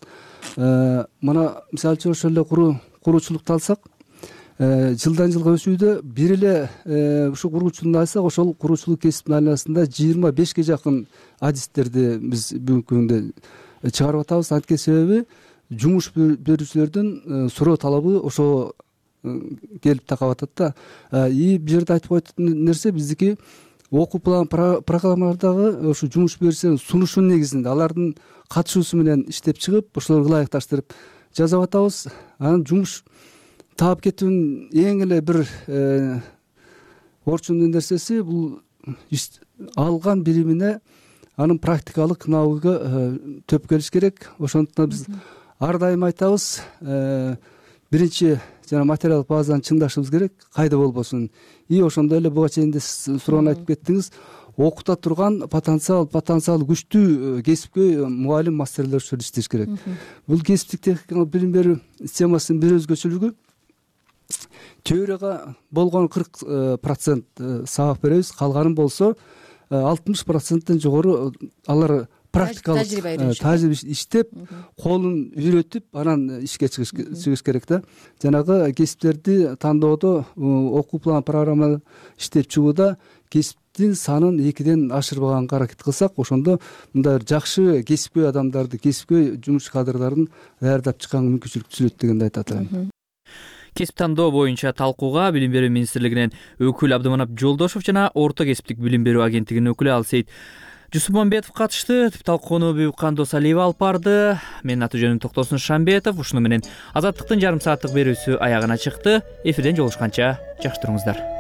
Мына мисалы үчүн ошол эле куруучулукту алсак, жылдан жылга өсүүдө бир эле ушу куруучулукту алсак, ошол куруучулук кесиптин айланасында 25ге жакын адистерди биз бүгүнкү күндө чыгарып атабыз. Анткени себеби жумуш берүүчүлөрдүн суроо талабы ошо келип такап атат да. И бул жерде айтып койгон нерсе, биздики окуу план программалардагы ошо жумуш берүүчүлөрдүн сунушунун негизинде алардын катышуусу менен иштеп чыгып, ошолорго ылайыкташтырып жазып атабыз. Анан жумуш таап кетүүнүн эң эле бир орчундуу нерсеси бул алган билимине анын практикалык навыгы төп келиш керек. Ошондуктан биз ар дайым айтабыз, биринчи жана материалдык базаны чыңдашыбыз керек, кайда болбосун. И ошондой эле буга чейин суроону айтып кеттиңиз, окута турган потенциал күчтүү кесипкөй мугалим мастерлер ушул иштеш керек. Бул кесиптик техникалык билим берүү системасынын бир өзгөчөлүгү, теорияга болгон 40% сабак беребиз, калганын болсо 60%тен жогору алар практикалык тажрыйба иштеп, колун үйрөтүп, анан ишке чыгыш керек да. Жанагы кесиптерди тандоодо, окуу план программа иштеп чыгууда кесиптин санын 2ден ашырбаганга аракет кылсак, ошондо мындай жакшы кесипкөй адамдарды, кесипкөй жумуш кадрдарын даярдап чыкканга мүмкүнчүлүк түзүлөт дегенди айтат элем. Кесип тандоо боюнча талкууга Билим берүү министрлигинен өкүл Абдыманап Жолдошов жана Орто кесиптик билим берүү агенттигинин өкүлү Алсейит Жусупмамбетов катышты. Талкууну Бүйүккан Досалиева алып барды. Менин аты жөнүм Токтосун Шамбетов. Ушуну менен Азаттыктын жарым сааттык берүүсү аягына чыкты. Эфирден жолугушканча жакшы туруңуздар.